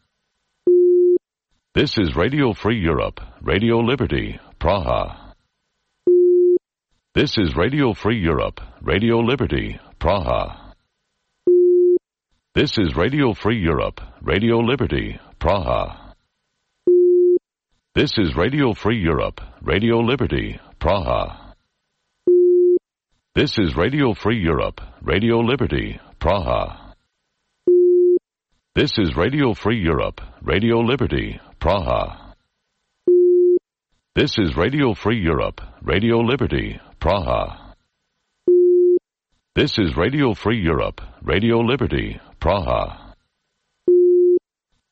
This is Radio Free Europe, Radio Liberty, Praha. This is Radio Free Europe, Radio Liberty, Praha. This is Radio Free Europe, Radio Liberty, Praha. This is Radio Free Europe, Radio Liberty, Praha. This is Radio Free Europe, Radio Liberty, Praha. This is Radio Free Europe, Radio Liberty, Praha. This is Radio Free Europe, Radio Liberty, Praha. This is Radio Free Europe, Radio Liberty, Praha.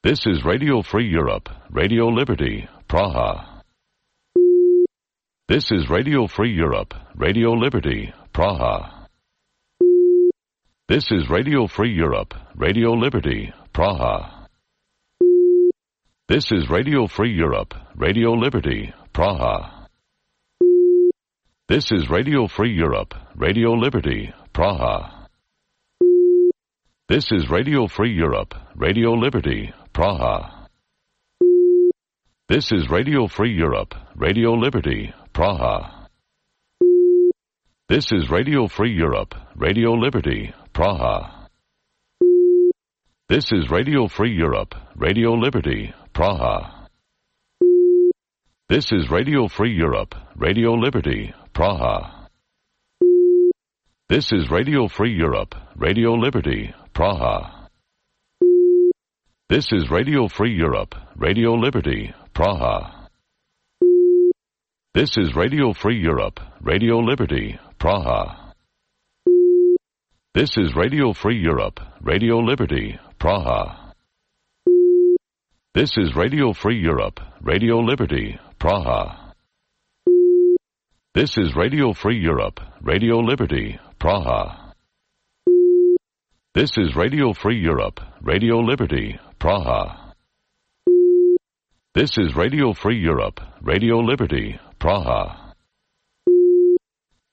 This is Radio Free Europe, Radio Liberty, Praha. This is Radio Free Europe, Radio Liberty, Praha. This is Radio Free Europe, Radio Liberty, Praha. This is Radio Free Europe, Radio Liberty, Praha. This is Radio Free Europe, Radio Liberty, Praha. This is Radio Free Europe, Radio Liberty, Praha. This is Radio Free Europe, Radio Liberty, Praha. This is Radio Free Europe, Radio Liberty, Praha. This is Radio Free Europe, Radio Liberty, Praha. This is Radio Free Europe, Radio Liberty, Praha. This is Radio Free Europe, Radio Liberty, Praha. This is Radio Free Europe, Radio Liberty, Praha. This is Radio Free Europe, Radio Liberty, Praha. This is Radio Free Europe, Radio Liberty, Praha. This is Radio Free Europe, Radio Liberty, Praha. This is Radio Free Europe, Radio Liberty, Praha. This is Radio Free Europe, Radio Liberty, Praha. This is Radio Free Europe, Radio Liberty, Praha.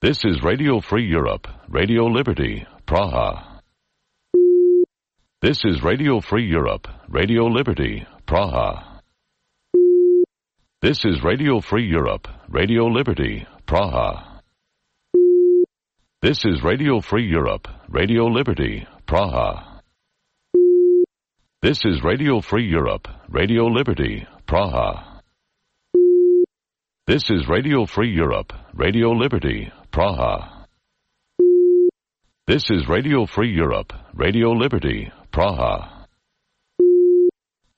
This is Radio Free Europe, Radio Liberty, Praha. This is Radio Free Europe, Radio Liberty, Praha. This is Radio Free Europe, Radio Liberty, Praha. This is Radio Free Europe, Radio Liberty, Praha. This is Radio Free Europe, Radio Liberty, Praha. This is Radio Free Europe, Radio Liberty, Praha. This is Radio Free Europe, Radio Liberty, Praha.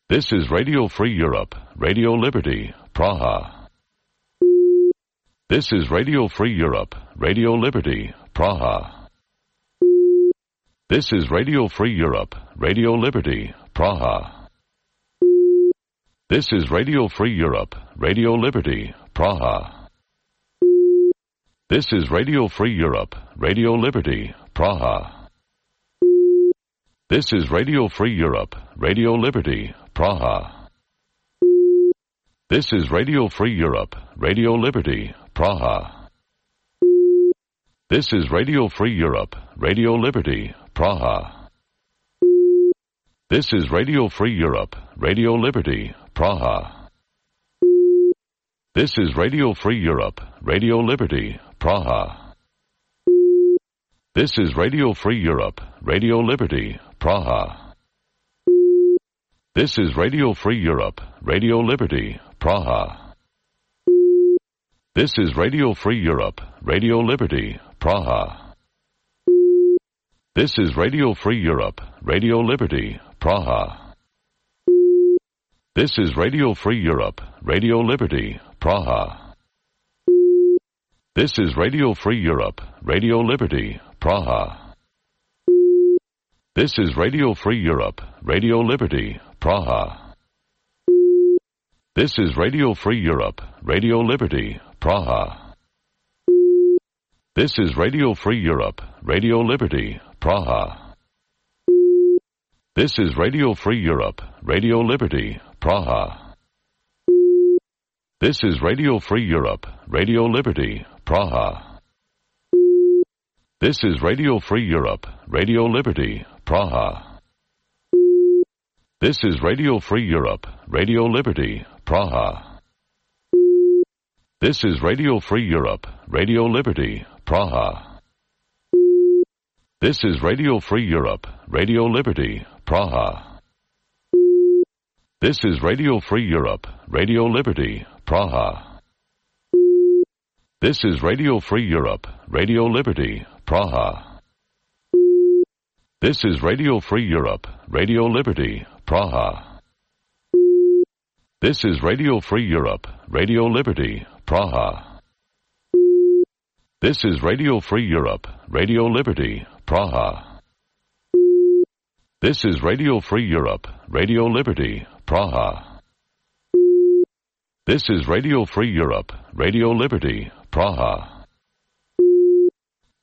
This is Radio Free Europe, Radio Liberty, Praha. This is Radio Free Europe, Radio Liberty, Praha. This is Radio Free Europe, Radio Liberty, Praha. This is Radio Free Europe, Radio Liberty, Praha. This is Radio Free Europe, Radio Liberty, Praha. This is Radio Free Europe, Radio Liberty, Praha. This is Radio Free Europe, Radio Liberty, Praha. This is Radio Free Europe, Radio Liberty, Praha. This is Radio Free Europe, Radio Liberty, Praha. This is Radio Free Europe, Radio Liberty, Praha. This is Radio Free Europe, Radio Liberty, Praha. This is Radio Free Europe, Radio Liberty, Praha. This is Radio Free Europe, Radio Liberty, Praha. This is Radio Free Europe, Radio Liberty, Praha. This is Radio Free Europe, Radio Liberty, Praha. This is Radio Free Europe, Radio Liberty, Praha. This is Radio Free Europe, Radio Liberty, Praha. This is Radio Free Europe, Radio Liberty, Praha. This is Radio Free Europe, Radio Liberty, Praha. This is Radio Free Europe, Radio Liberty, Praha. This is Radio Free Europe, Radio Liberty, Praha. This is Radio Free Europe, Radio Liberty, Praha. This is Radio Free Europe, Radio Liberty, Praha. This is Radio Free Europe, Radio Liberty, Praha. This is Radio Free Europe, Radio Liberty, Praha. This is Radio Free Europe, Radio Liberty, Praha. This is Radio Free Europe, Radio Liberty, Praha. This is Radio Free Europe, Radio Liberty, Praha. This is Radio Free Europe, Radio Liberty, Praha. This is Radio Free Europe, Radio Liberty, Praha. This is Radio Free Europe, Radio Liberty, Praha. This is Radio Free Europe, Radio Liberty, Praha.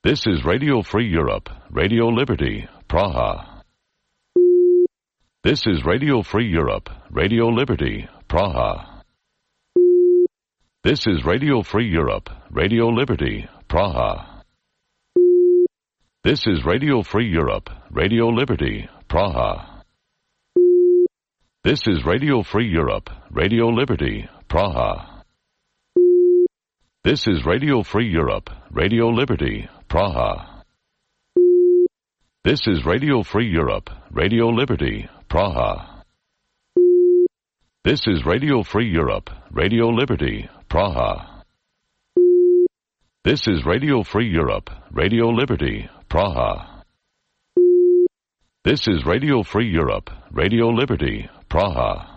This is Radio Free Europe, Radio Liberty, Praha. This is Radio Free Europe, Radio Liberty, Praha. This is Radio Free Europe, Radio Liberty, Praha. This is Radio Free Europe, Radio Liberty, Praha. This is Radio Free Europe, Radio Liberty, Praha. This is Radio Free Europe, Radio Liberty, Praha. This is Radio Free Europe, Radio Liberty, Praha. This is Radio Free Europe, Radio Liberty, Praha. This is Radio Free Europe, Radio Liberty, Praha. This is Radio Free Europe, Radio Liberty, Praha.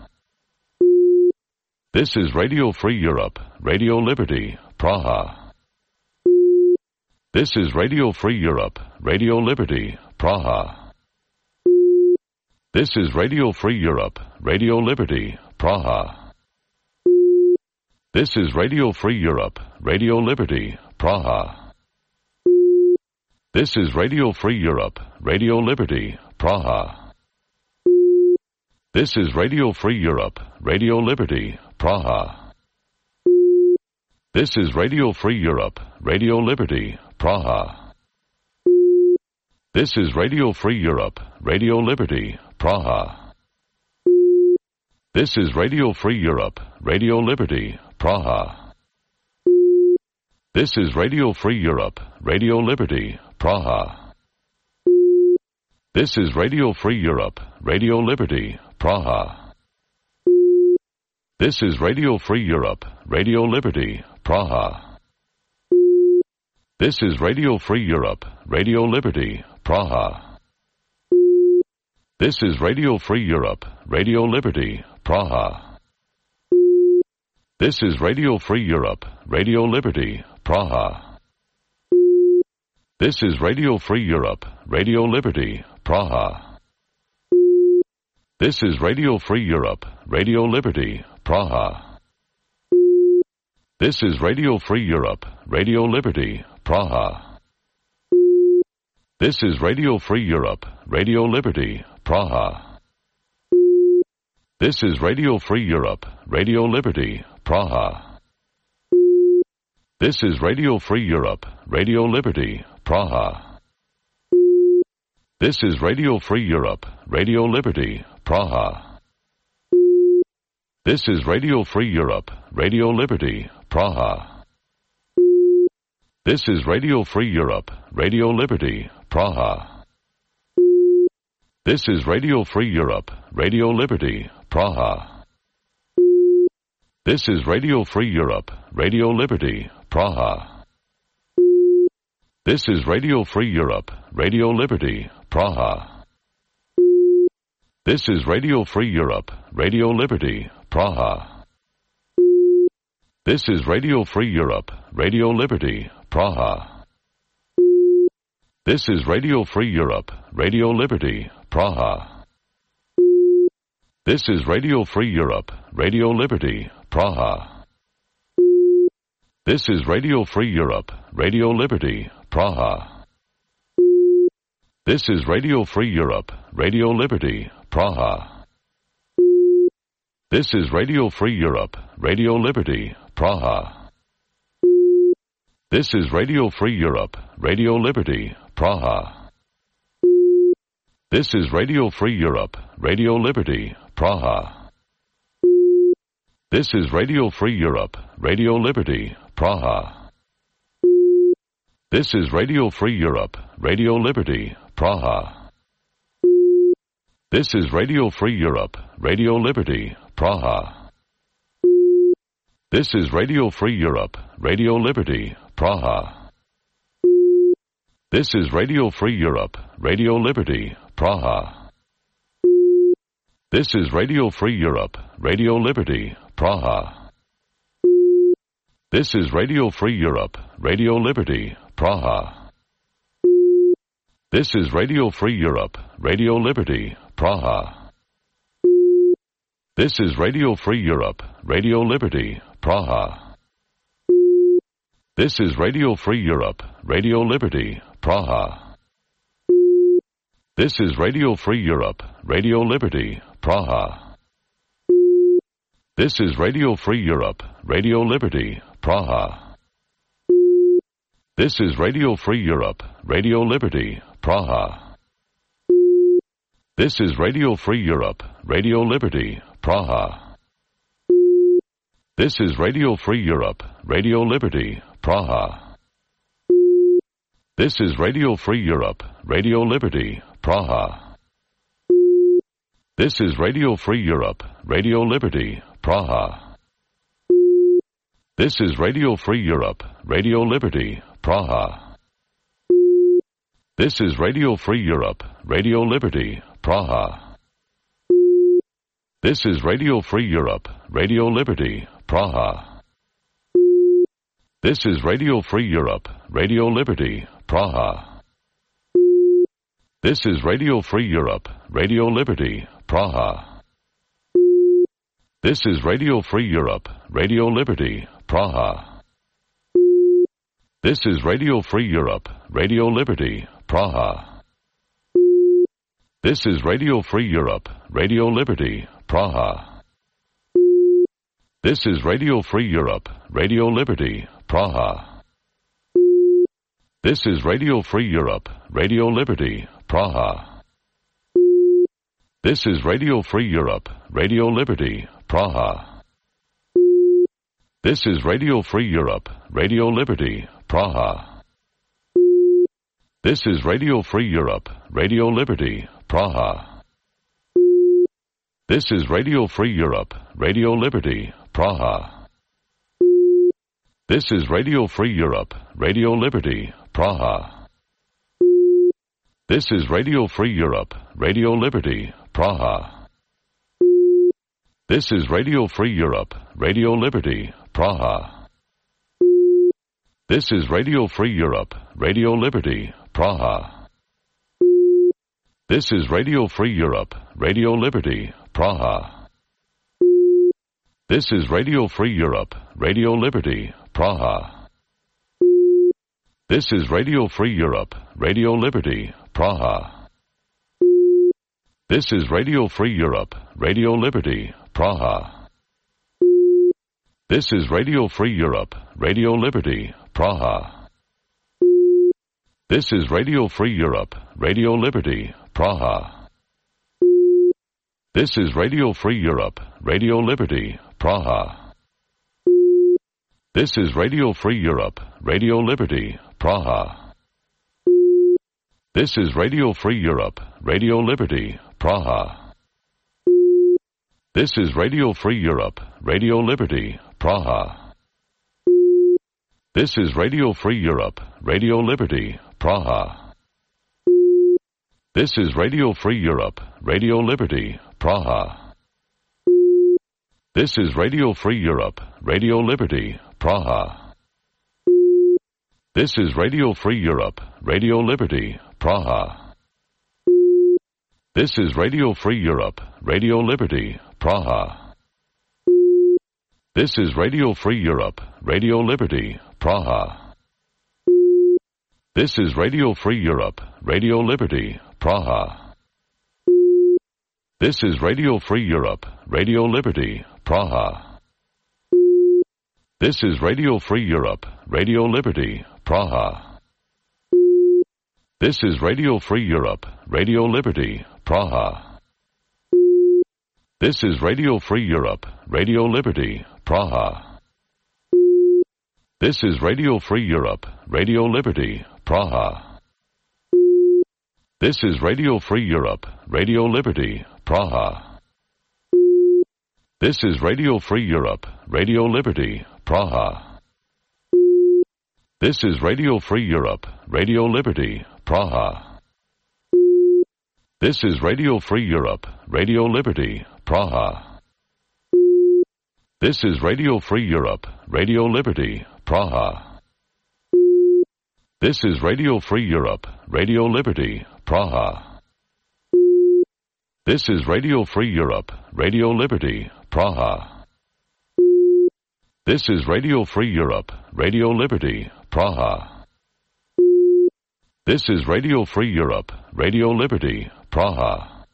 This is Radio Free Europe, Radio Liberty, Praha. This is Radio Free Europe, Radio Liberty, Praha. This is Radio Free Europe, Radio Liberty, Praha. This is Radio Free Europe, Radio Liberty, Praha. This is Radio Free Europe, Radio Liberty, Praha. This is Radio Free Europe, Radio Liberty, Praha. This is Radio Free Europe, Radio Liberty, Praha. This is Radio Free Europe, Radio Liberty, Praha. This is Radio Free Europe, Radio Liberty, Praha. This is Radio Free Europe, Radio Liberty, Praha. This is Radio Free Europe, Radio Liberty, Praha. This is Radio Free Europe, Radio Liberty, Praha. This is Radio Free Europe, Radio Liberty, Praha. This is Radio Free Europe, Radio Liberty, Praha. This is Radio Free Europe, Radio Liberty, Praha. This is Radio Free Europe, Radio Liberty, Praha. This is Radio Free Europe, Radio Liberty, Praha. This is Radio Free Europe, Radio Liberty, Praha. This is Radio Free Europe, Radio Liberty, Praha. This is Radio Free Europe, Radio Liberty, Praha. This is Radio Free Europe, Radio Liberty, Praha. This is Radio Free Europe, Radio Liberty, Praha. This is Radio Free Europe, Radio Liberty, Praha. This is Radio Free Europe, Radio Liberty, Praha. This is Radio Free Europe, Radio Liberty, Praha. This is Radio Free Europe, Radio Liberty, Praha. This is Radio Free Europe, Radio Liberty, Praha. This is Radio Free Europe, Radio Liberty, Praha. This is Radio Free Europe, Radio Liberty, Praha. This is Radio Free Europe, Radio Liberty, Praha. This is Radio Free Europe, Radio Liberty, Praha. This is Radio Free Europe, Radio Liberty, Praha. This is Radio Free Europe, Radio Liberty, Praha. This is Radio Free Europe, Radio Liberty, Praha. This is Radio Free Europe, Radio Liberty, Praha. This is Radio Free Europe, Radio Liberty, Praha. This is Radio Free Europe, Radio Liberty, Praha. This is Radio Free Europe, Radio Liberty, Praha. This is Radio Free Europe, Radio Liberty, Praha. This is Radio Free Europe, Radio Liberty, Praha. This is Radio Free Europe, Radio Liberty, Praha. This is Radio Free Europe, Radio Liberty, Praha. This is Radio Free Europe, Radio Liberty, Praha. This is Radio Free Europe, Radio Liberty, Praha. This is Radio Free Europe, Radio Liberty, Praha. This is Radio Free Europe, Radio Liberty, Praha. This is Radio Free Europe, Radio Liberty, Praha. This is Radio Free Europe, Radio Liberty, Praha. This is Radio Free Europe, Radio Liberty, Praha. This is Radio Free Europe, Radio Liberty, Praha. This is Radio Free Europe, Radio Liberty, Praha. This is Radio Free Europe, Radio Liberty, Praha. This is Radio Free Europe, Radio Liberty, Praha. This is Radio Free Europe, Radio Liberty, Praha. This is Radio Free Europe, Radio Liberty, Praha. This is Radio Free Europe, Radio Liberty, Praha. This is Radio Free Europe, Radio Liberty, Praha. This is Radio Free Europe, Radio Liberty, Praha. This is Radio Free Europe, Radio Liberty, Praha. This is Radio Free Europe, Radio Liberty, Praha. This is Radio Free Europe, Radio Liberty, Praha. This is Radio Free Europe, Radio Liberty, Praha. This is Radio Free Europe, Radio Liberty, Praha. This is Radio Free Europe, Radio Liberty, Praha. This is Radio Free Europe, Radio Liberty, Praha. This is Radio Free Europe, Radio Liberty, Praha. This is Radio Free Europe, Radio Liberty, Praha. This is Radio Free Europe, Radio Liberty, Praha. This is Radio Free Europe, Radio Liberty, Praha. This is Radio Free Europe, Radio Liberty, Praha. This is Radio Free Europe, Radio Liberty, Praha. This is Radio Free Europe, Radio Liberty, Praha. This is Radio Free Europe, Radio Liberty, Praha. This is Radio Free Europe, Radio Liberty, Praha. This is Radio Free Europe, Radio Liberty, Praha. This is Radio Free Europe, Radio Liberty, Praha. This is Radio Free Europe, Radio Liberty, Praha. This is Radio Free Europe, Radio Liberty, Praha. This is Radio Free Europe, Radio Liberty, Praha. This is Radio Free Europe, Radio Liberty, Praha. This is Radio Free Europe, Radio Liberty, Praha. This is Radio Free Europe, Radio Liberty, Praha. This is Radio Free Europe, Radio Liberty, Praha. This is Radio Free Europe, Radio Liberty, Praha. This is Radio Free Europe, Radio Liberty, Praha. This is Radio Free Europe, Radio Liberty, Praha. This is Radio Free Europe, Radio Liberty, Praha. This is Radio Free Europe, Radio Liberty, Praha. This is Radio Free Europe, Radio Liberty, Praha. This is Radio Free Europe, Radio Liberty, Praha. This is Radio Free Europe, Radio Liberty, Praha. This is Radio Free Europe, Radio Liberty, Praha. This is Radio Free Europe, Radio Liberty, Praha. This is Radio Free Europe, Radio Liberty, Praha. This is Radio Free Europe, Radio Liberty, Praha. This is Radio Free Europe, Radio Liberty, Praha. This is Radio Free Europe, Radio Liberty, Praha. This is Radio Free Europe, Radio Liberty, Praha. This is Radio Free Europe, Radio Liberty, Praha. This is Radio Free Europe, Radio Liberty, Praha. This is Radio Free Europe, Radio Liberty, Praha. This is Radio Free Europe, Radio Liberty, Praha.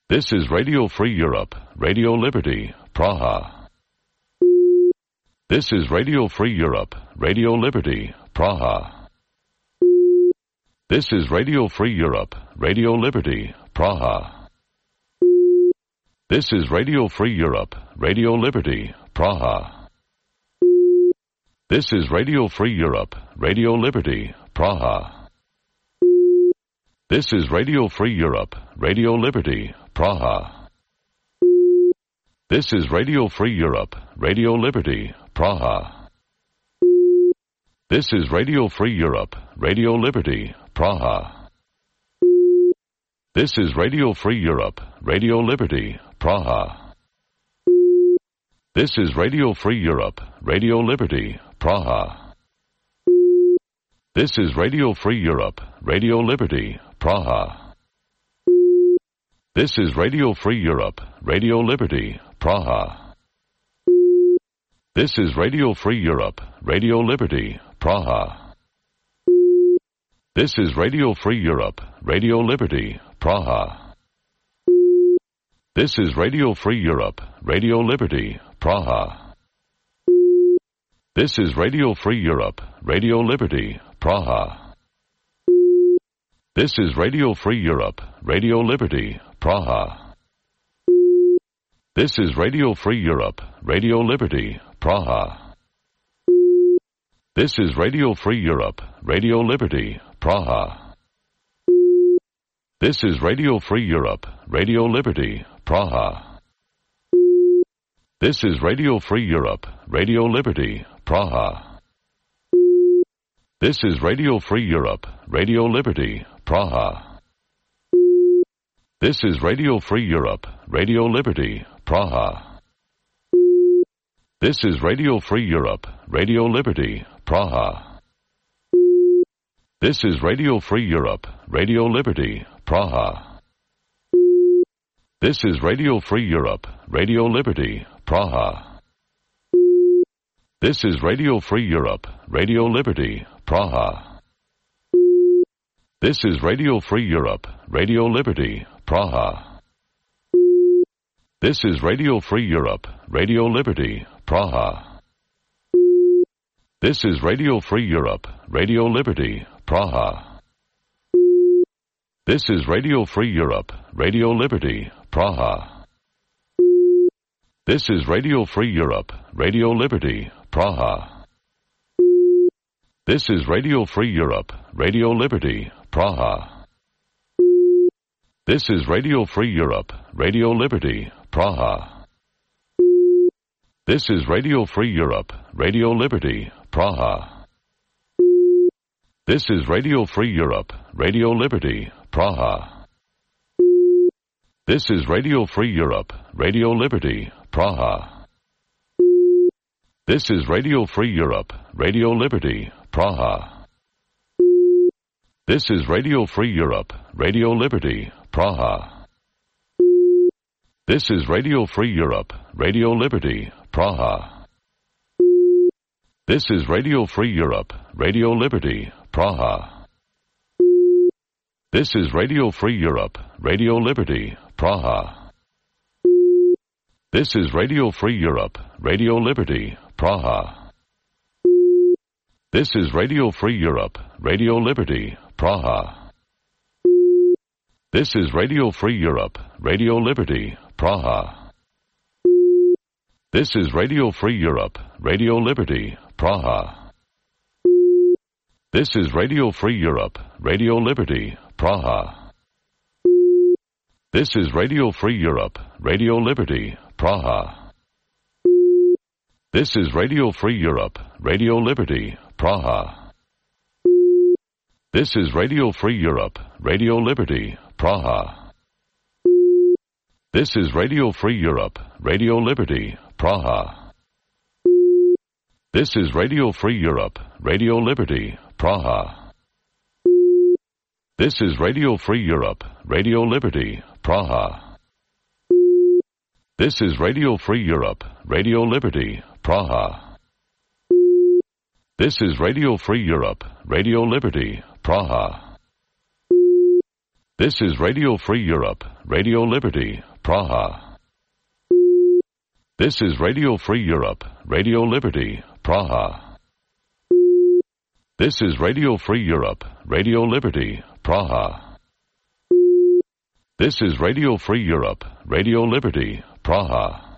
This is Radio Free Europe, Radio Liberty, Praha. This is Radio Free Europe, Radio Liberty, Praha. This is Radio Free Europe, Radio Liberty, Praha. This is Radio Free Europe, Radio Liberty, Praha. This is Radio Free Europe, Radio Liberty, Praha. This is Radio Free Europe, Radio Liberty, Praha. This is Radio Free Europe, Radio Liberty, Praha. This is Radio Free Europe, Radio Liberty, Praha. This is Radio Free Europe, Radio Liberty, Praha. This is Radio Free Europe, Radio Liberty, Praha. This is Radio Free Europe, Radio Liberty, Praha. This is Radio Free Europe, Radio Liberty, Praha. This is Radio Free Europe, Radio Liberty, Praha. This is Radio Free Europe, Radio Liberty, Praha. This is Radio Free Europe, Radio Liberty, Praha. This is Radio Free Europe, Radio Liberty, Praha. This is Radio Free Europe, Radio Liberty, Praha. This is Radio Free Europe, Radio Liberty, Praha. This is Radio Free Europe, Radio Liberty, Praha. This is Radio Free Europe, Radio Liberty, Praha. This is Radio Free Europe, Radio Liberty, Praha. This is Radio Free Europe, Radio Liberty, Praha. This is Radio Free Europe, Radio Liberty, Praha. This is Radio Free Europe, Radio Liberty, Praha. This is Radio Free Europe, Radio Liberty, Praha. This is Radio Free Europe, Radio Liberty, Praha. This is Radio Free Europe, Radio Liberty, Praha. This is Radio Free Europe, Radio Liberty, Praha. This is Radio Free Europe, Radio Liberty, Praha. This is Radio Free Europe, Radio Liberty, Praha. This is Radio Free Europe, Radio Liberty, Praha. This is Radio Free Europe, Radio Liberty, Praha. This is Radio Free Europe, Radio Liberty, Praha. This is Radio Free Europe, Radio Liberty, Praha. This is Radio Free Europe, Radio Liberty, Praha. This is Radio Free Europe, Radio Liberty, Praha. This is Radio Free Europe, Radio Liberty, Praha. This is Radio Free Europe, Radio Liberty, Praha. This is Radio Free Europe, Radio Liberty, Praha. This is Radio Free Europe, Radio Liberty, Praha. This is Radio Free Europe, Radio Liberty, Praha. This is Radio Free Europe, Radio Liberty, Praha. This is Radio Free Europe, Radio Liberty, Praha. This is Radio Free Europe, Radio Liberty, Praha. This is Radio Free Europe, Radio Liberty, Praha. This is Radio Free Europe, Radio Liberty, Praha. This is Radio Free Europe, Radio Liberty, Praha. This is Radio Free Europe, Radio Liberty, Praha. This is Radio Free Europe, Radio Liberty, Praha. This is Radio Free Europe, Radio Liberty, Praha. This is Radio Free Europe, Radio Liberty, Praha. This is Radio Free Europe, Radio Liberty, Praha. This is Radio Free Europe, Radio Liberty, Praha. This is Radio Free Europe, Radio Liberty, Praha. This is Radio Free Europe, Radio Liberty, Praha. This is Radio Free Europe, Radio Liberty, Praha. This is Radio Free Europe, Radio Liberty, Praha. This is Radio Free Europe, Radio Liberty, Praha. This is Radio Free Europe, Radio Liberty, Praha.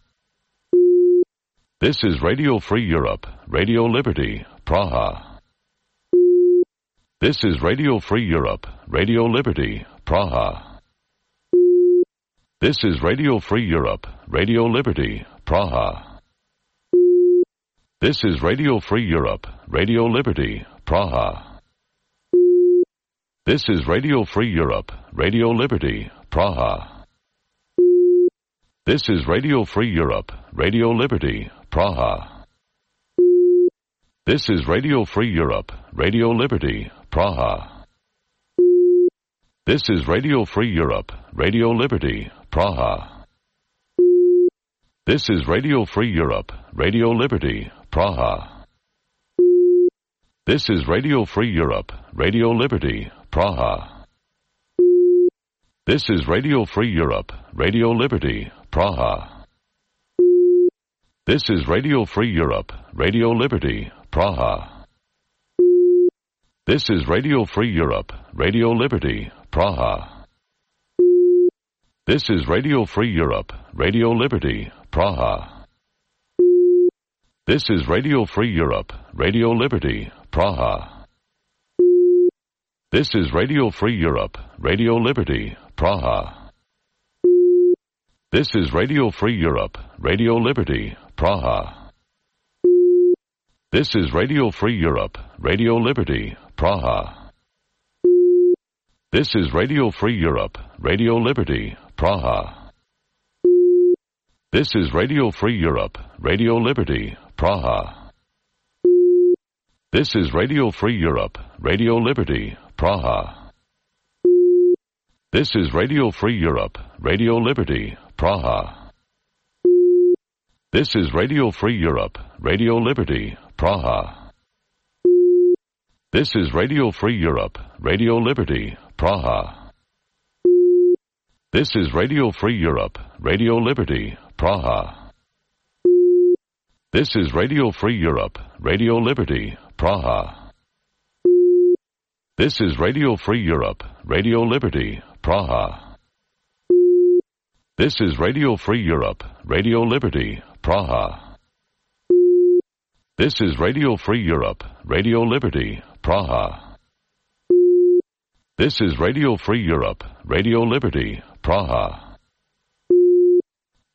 This is Radio Free Europe, Radio Liberty, Praha. This is Radio Free Europe, Radio Liberty, Praha. This is Radio Free Europe, Radio Liberty, Praha. This is Radio Free Europe, Radio Liberty, Praha. This is Radio Free Europe, Radio Liberty, Praha. This is Radio Free Europe, Radio Liberty, Praha. This is Radio Free Europe, Radio Liberty, Praha. This is Radio Free Europe, Radio Liberty, Praha. This is Radio Free Europe, Radio Liberty, Praha. This is Radio Free Europe, Radio Liberty, Praha. This is Radio Free Europe, Radio Liberty, Praha. This is Radio Free Europe, Radio Liberty, Praha. This is Radio Free Europe, Radio Liberty, Praha. This is Radio Free Europe, Radio Liberty, Praha. This is Radio Free Europe, Radio Liberty, Praha. This is Radio Free Europe, Radio Liberty, Praha. This is Radio Free Europe, Radio Liberty, Praha. This is Radio Free Europe, Radio Liberty, Praha. This is Radio Free Europe, Radio Liberty, Praha. This is Radio Free Europe, Radio Liberty, Praha. This is Radio Free Europe, Radio Liberty, Praha. This is Radio Free Europe, Radio Liberty, Praha. This is Radio Free Europe, Radio Liberty, Praha. This is Radio Free Europe, Radio Liberty, Praha. This is Radio Free Europe, Radio Liberty, Praha. This is Radio Free Europe, Radio Liberty, Praha. This is Radio Free Europe, Radio Liberty, Praha. This is Radio Free Europe, Radio Liberty, Praha. This is Radio Free Europe, Radio Liberty, Praha. This is Radio Free Europe, Radio Liberty, Praha.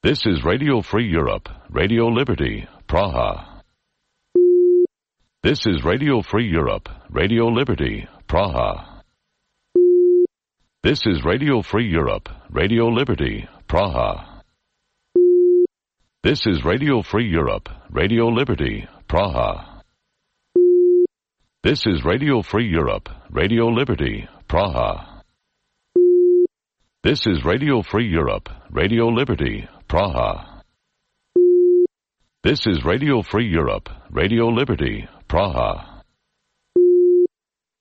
This is Radio Free Europe, Radio Liberty, Praha. This is Radio Free Europe, Radio Liberty, Praha. This is Radio Free Europe, Radio Liberty, Praha. This is Radio Free Europe, Radio Liberty, Praha. This is Radio Free Europe, Radio Liberty, Praha. This is Radio Free Europe, Radio Liberty, Praha. This is Radio Free Europe, Radio Liberty, Praha.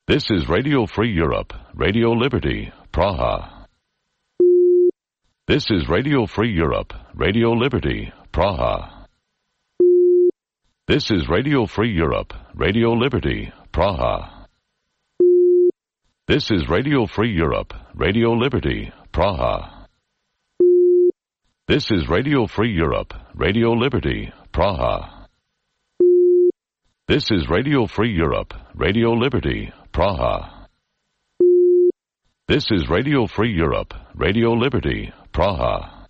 This is Radio Free Europe, Radio Liberty, Praha. This is Radio Free Europe, Radio Liberty, Praha. This is Radio Free Europe, Radio Liberty, Praha. This is Radio Free Europe, Radio Liberty, Praha. This is Radio Free Europe, Radio Liberty, Praha. This is Radio Free Europe, Radio Liberty, Praha. This is Radio Free Europe, Radio Liberty, Praha.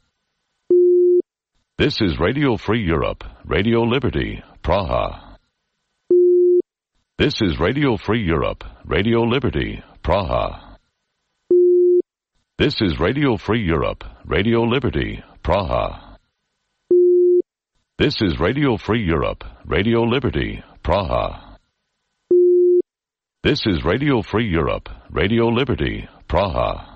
This is Radio Free Europe, Radio Liberty, Praha. This is Radio Free Europe, Radio Liberty, Praha. This is Radio Free Europe, Radio Liberty, Praha. This is Radio Free Europe, Radio Liberty, Praha. This is Radio Free Europe, Radio Liberty, Praha.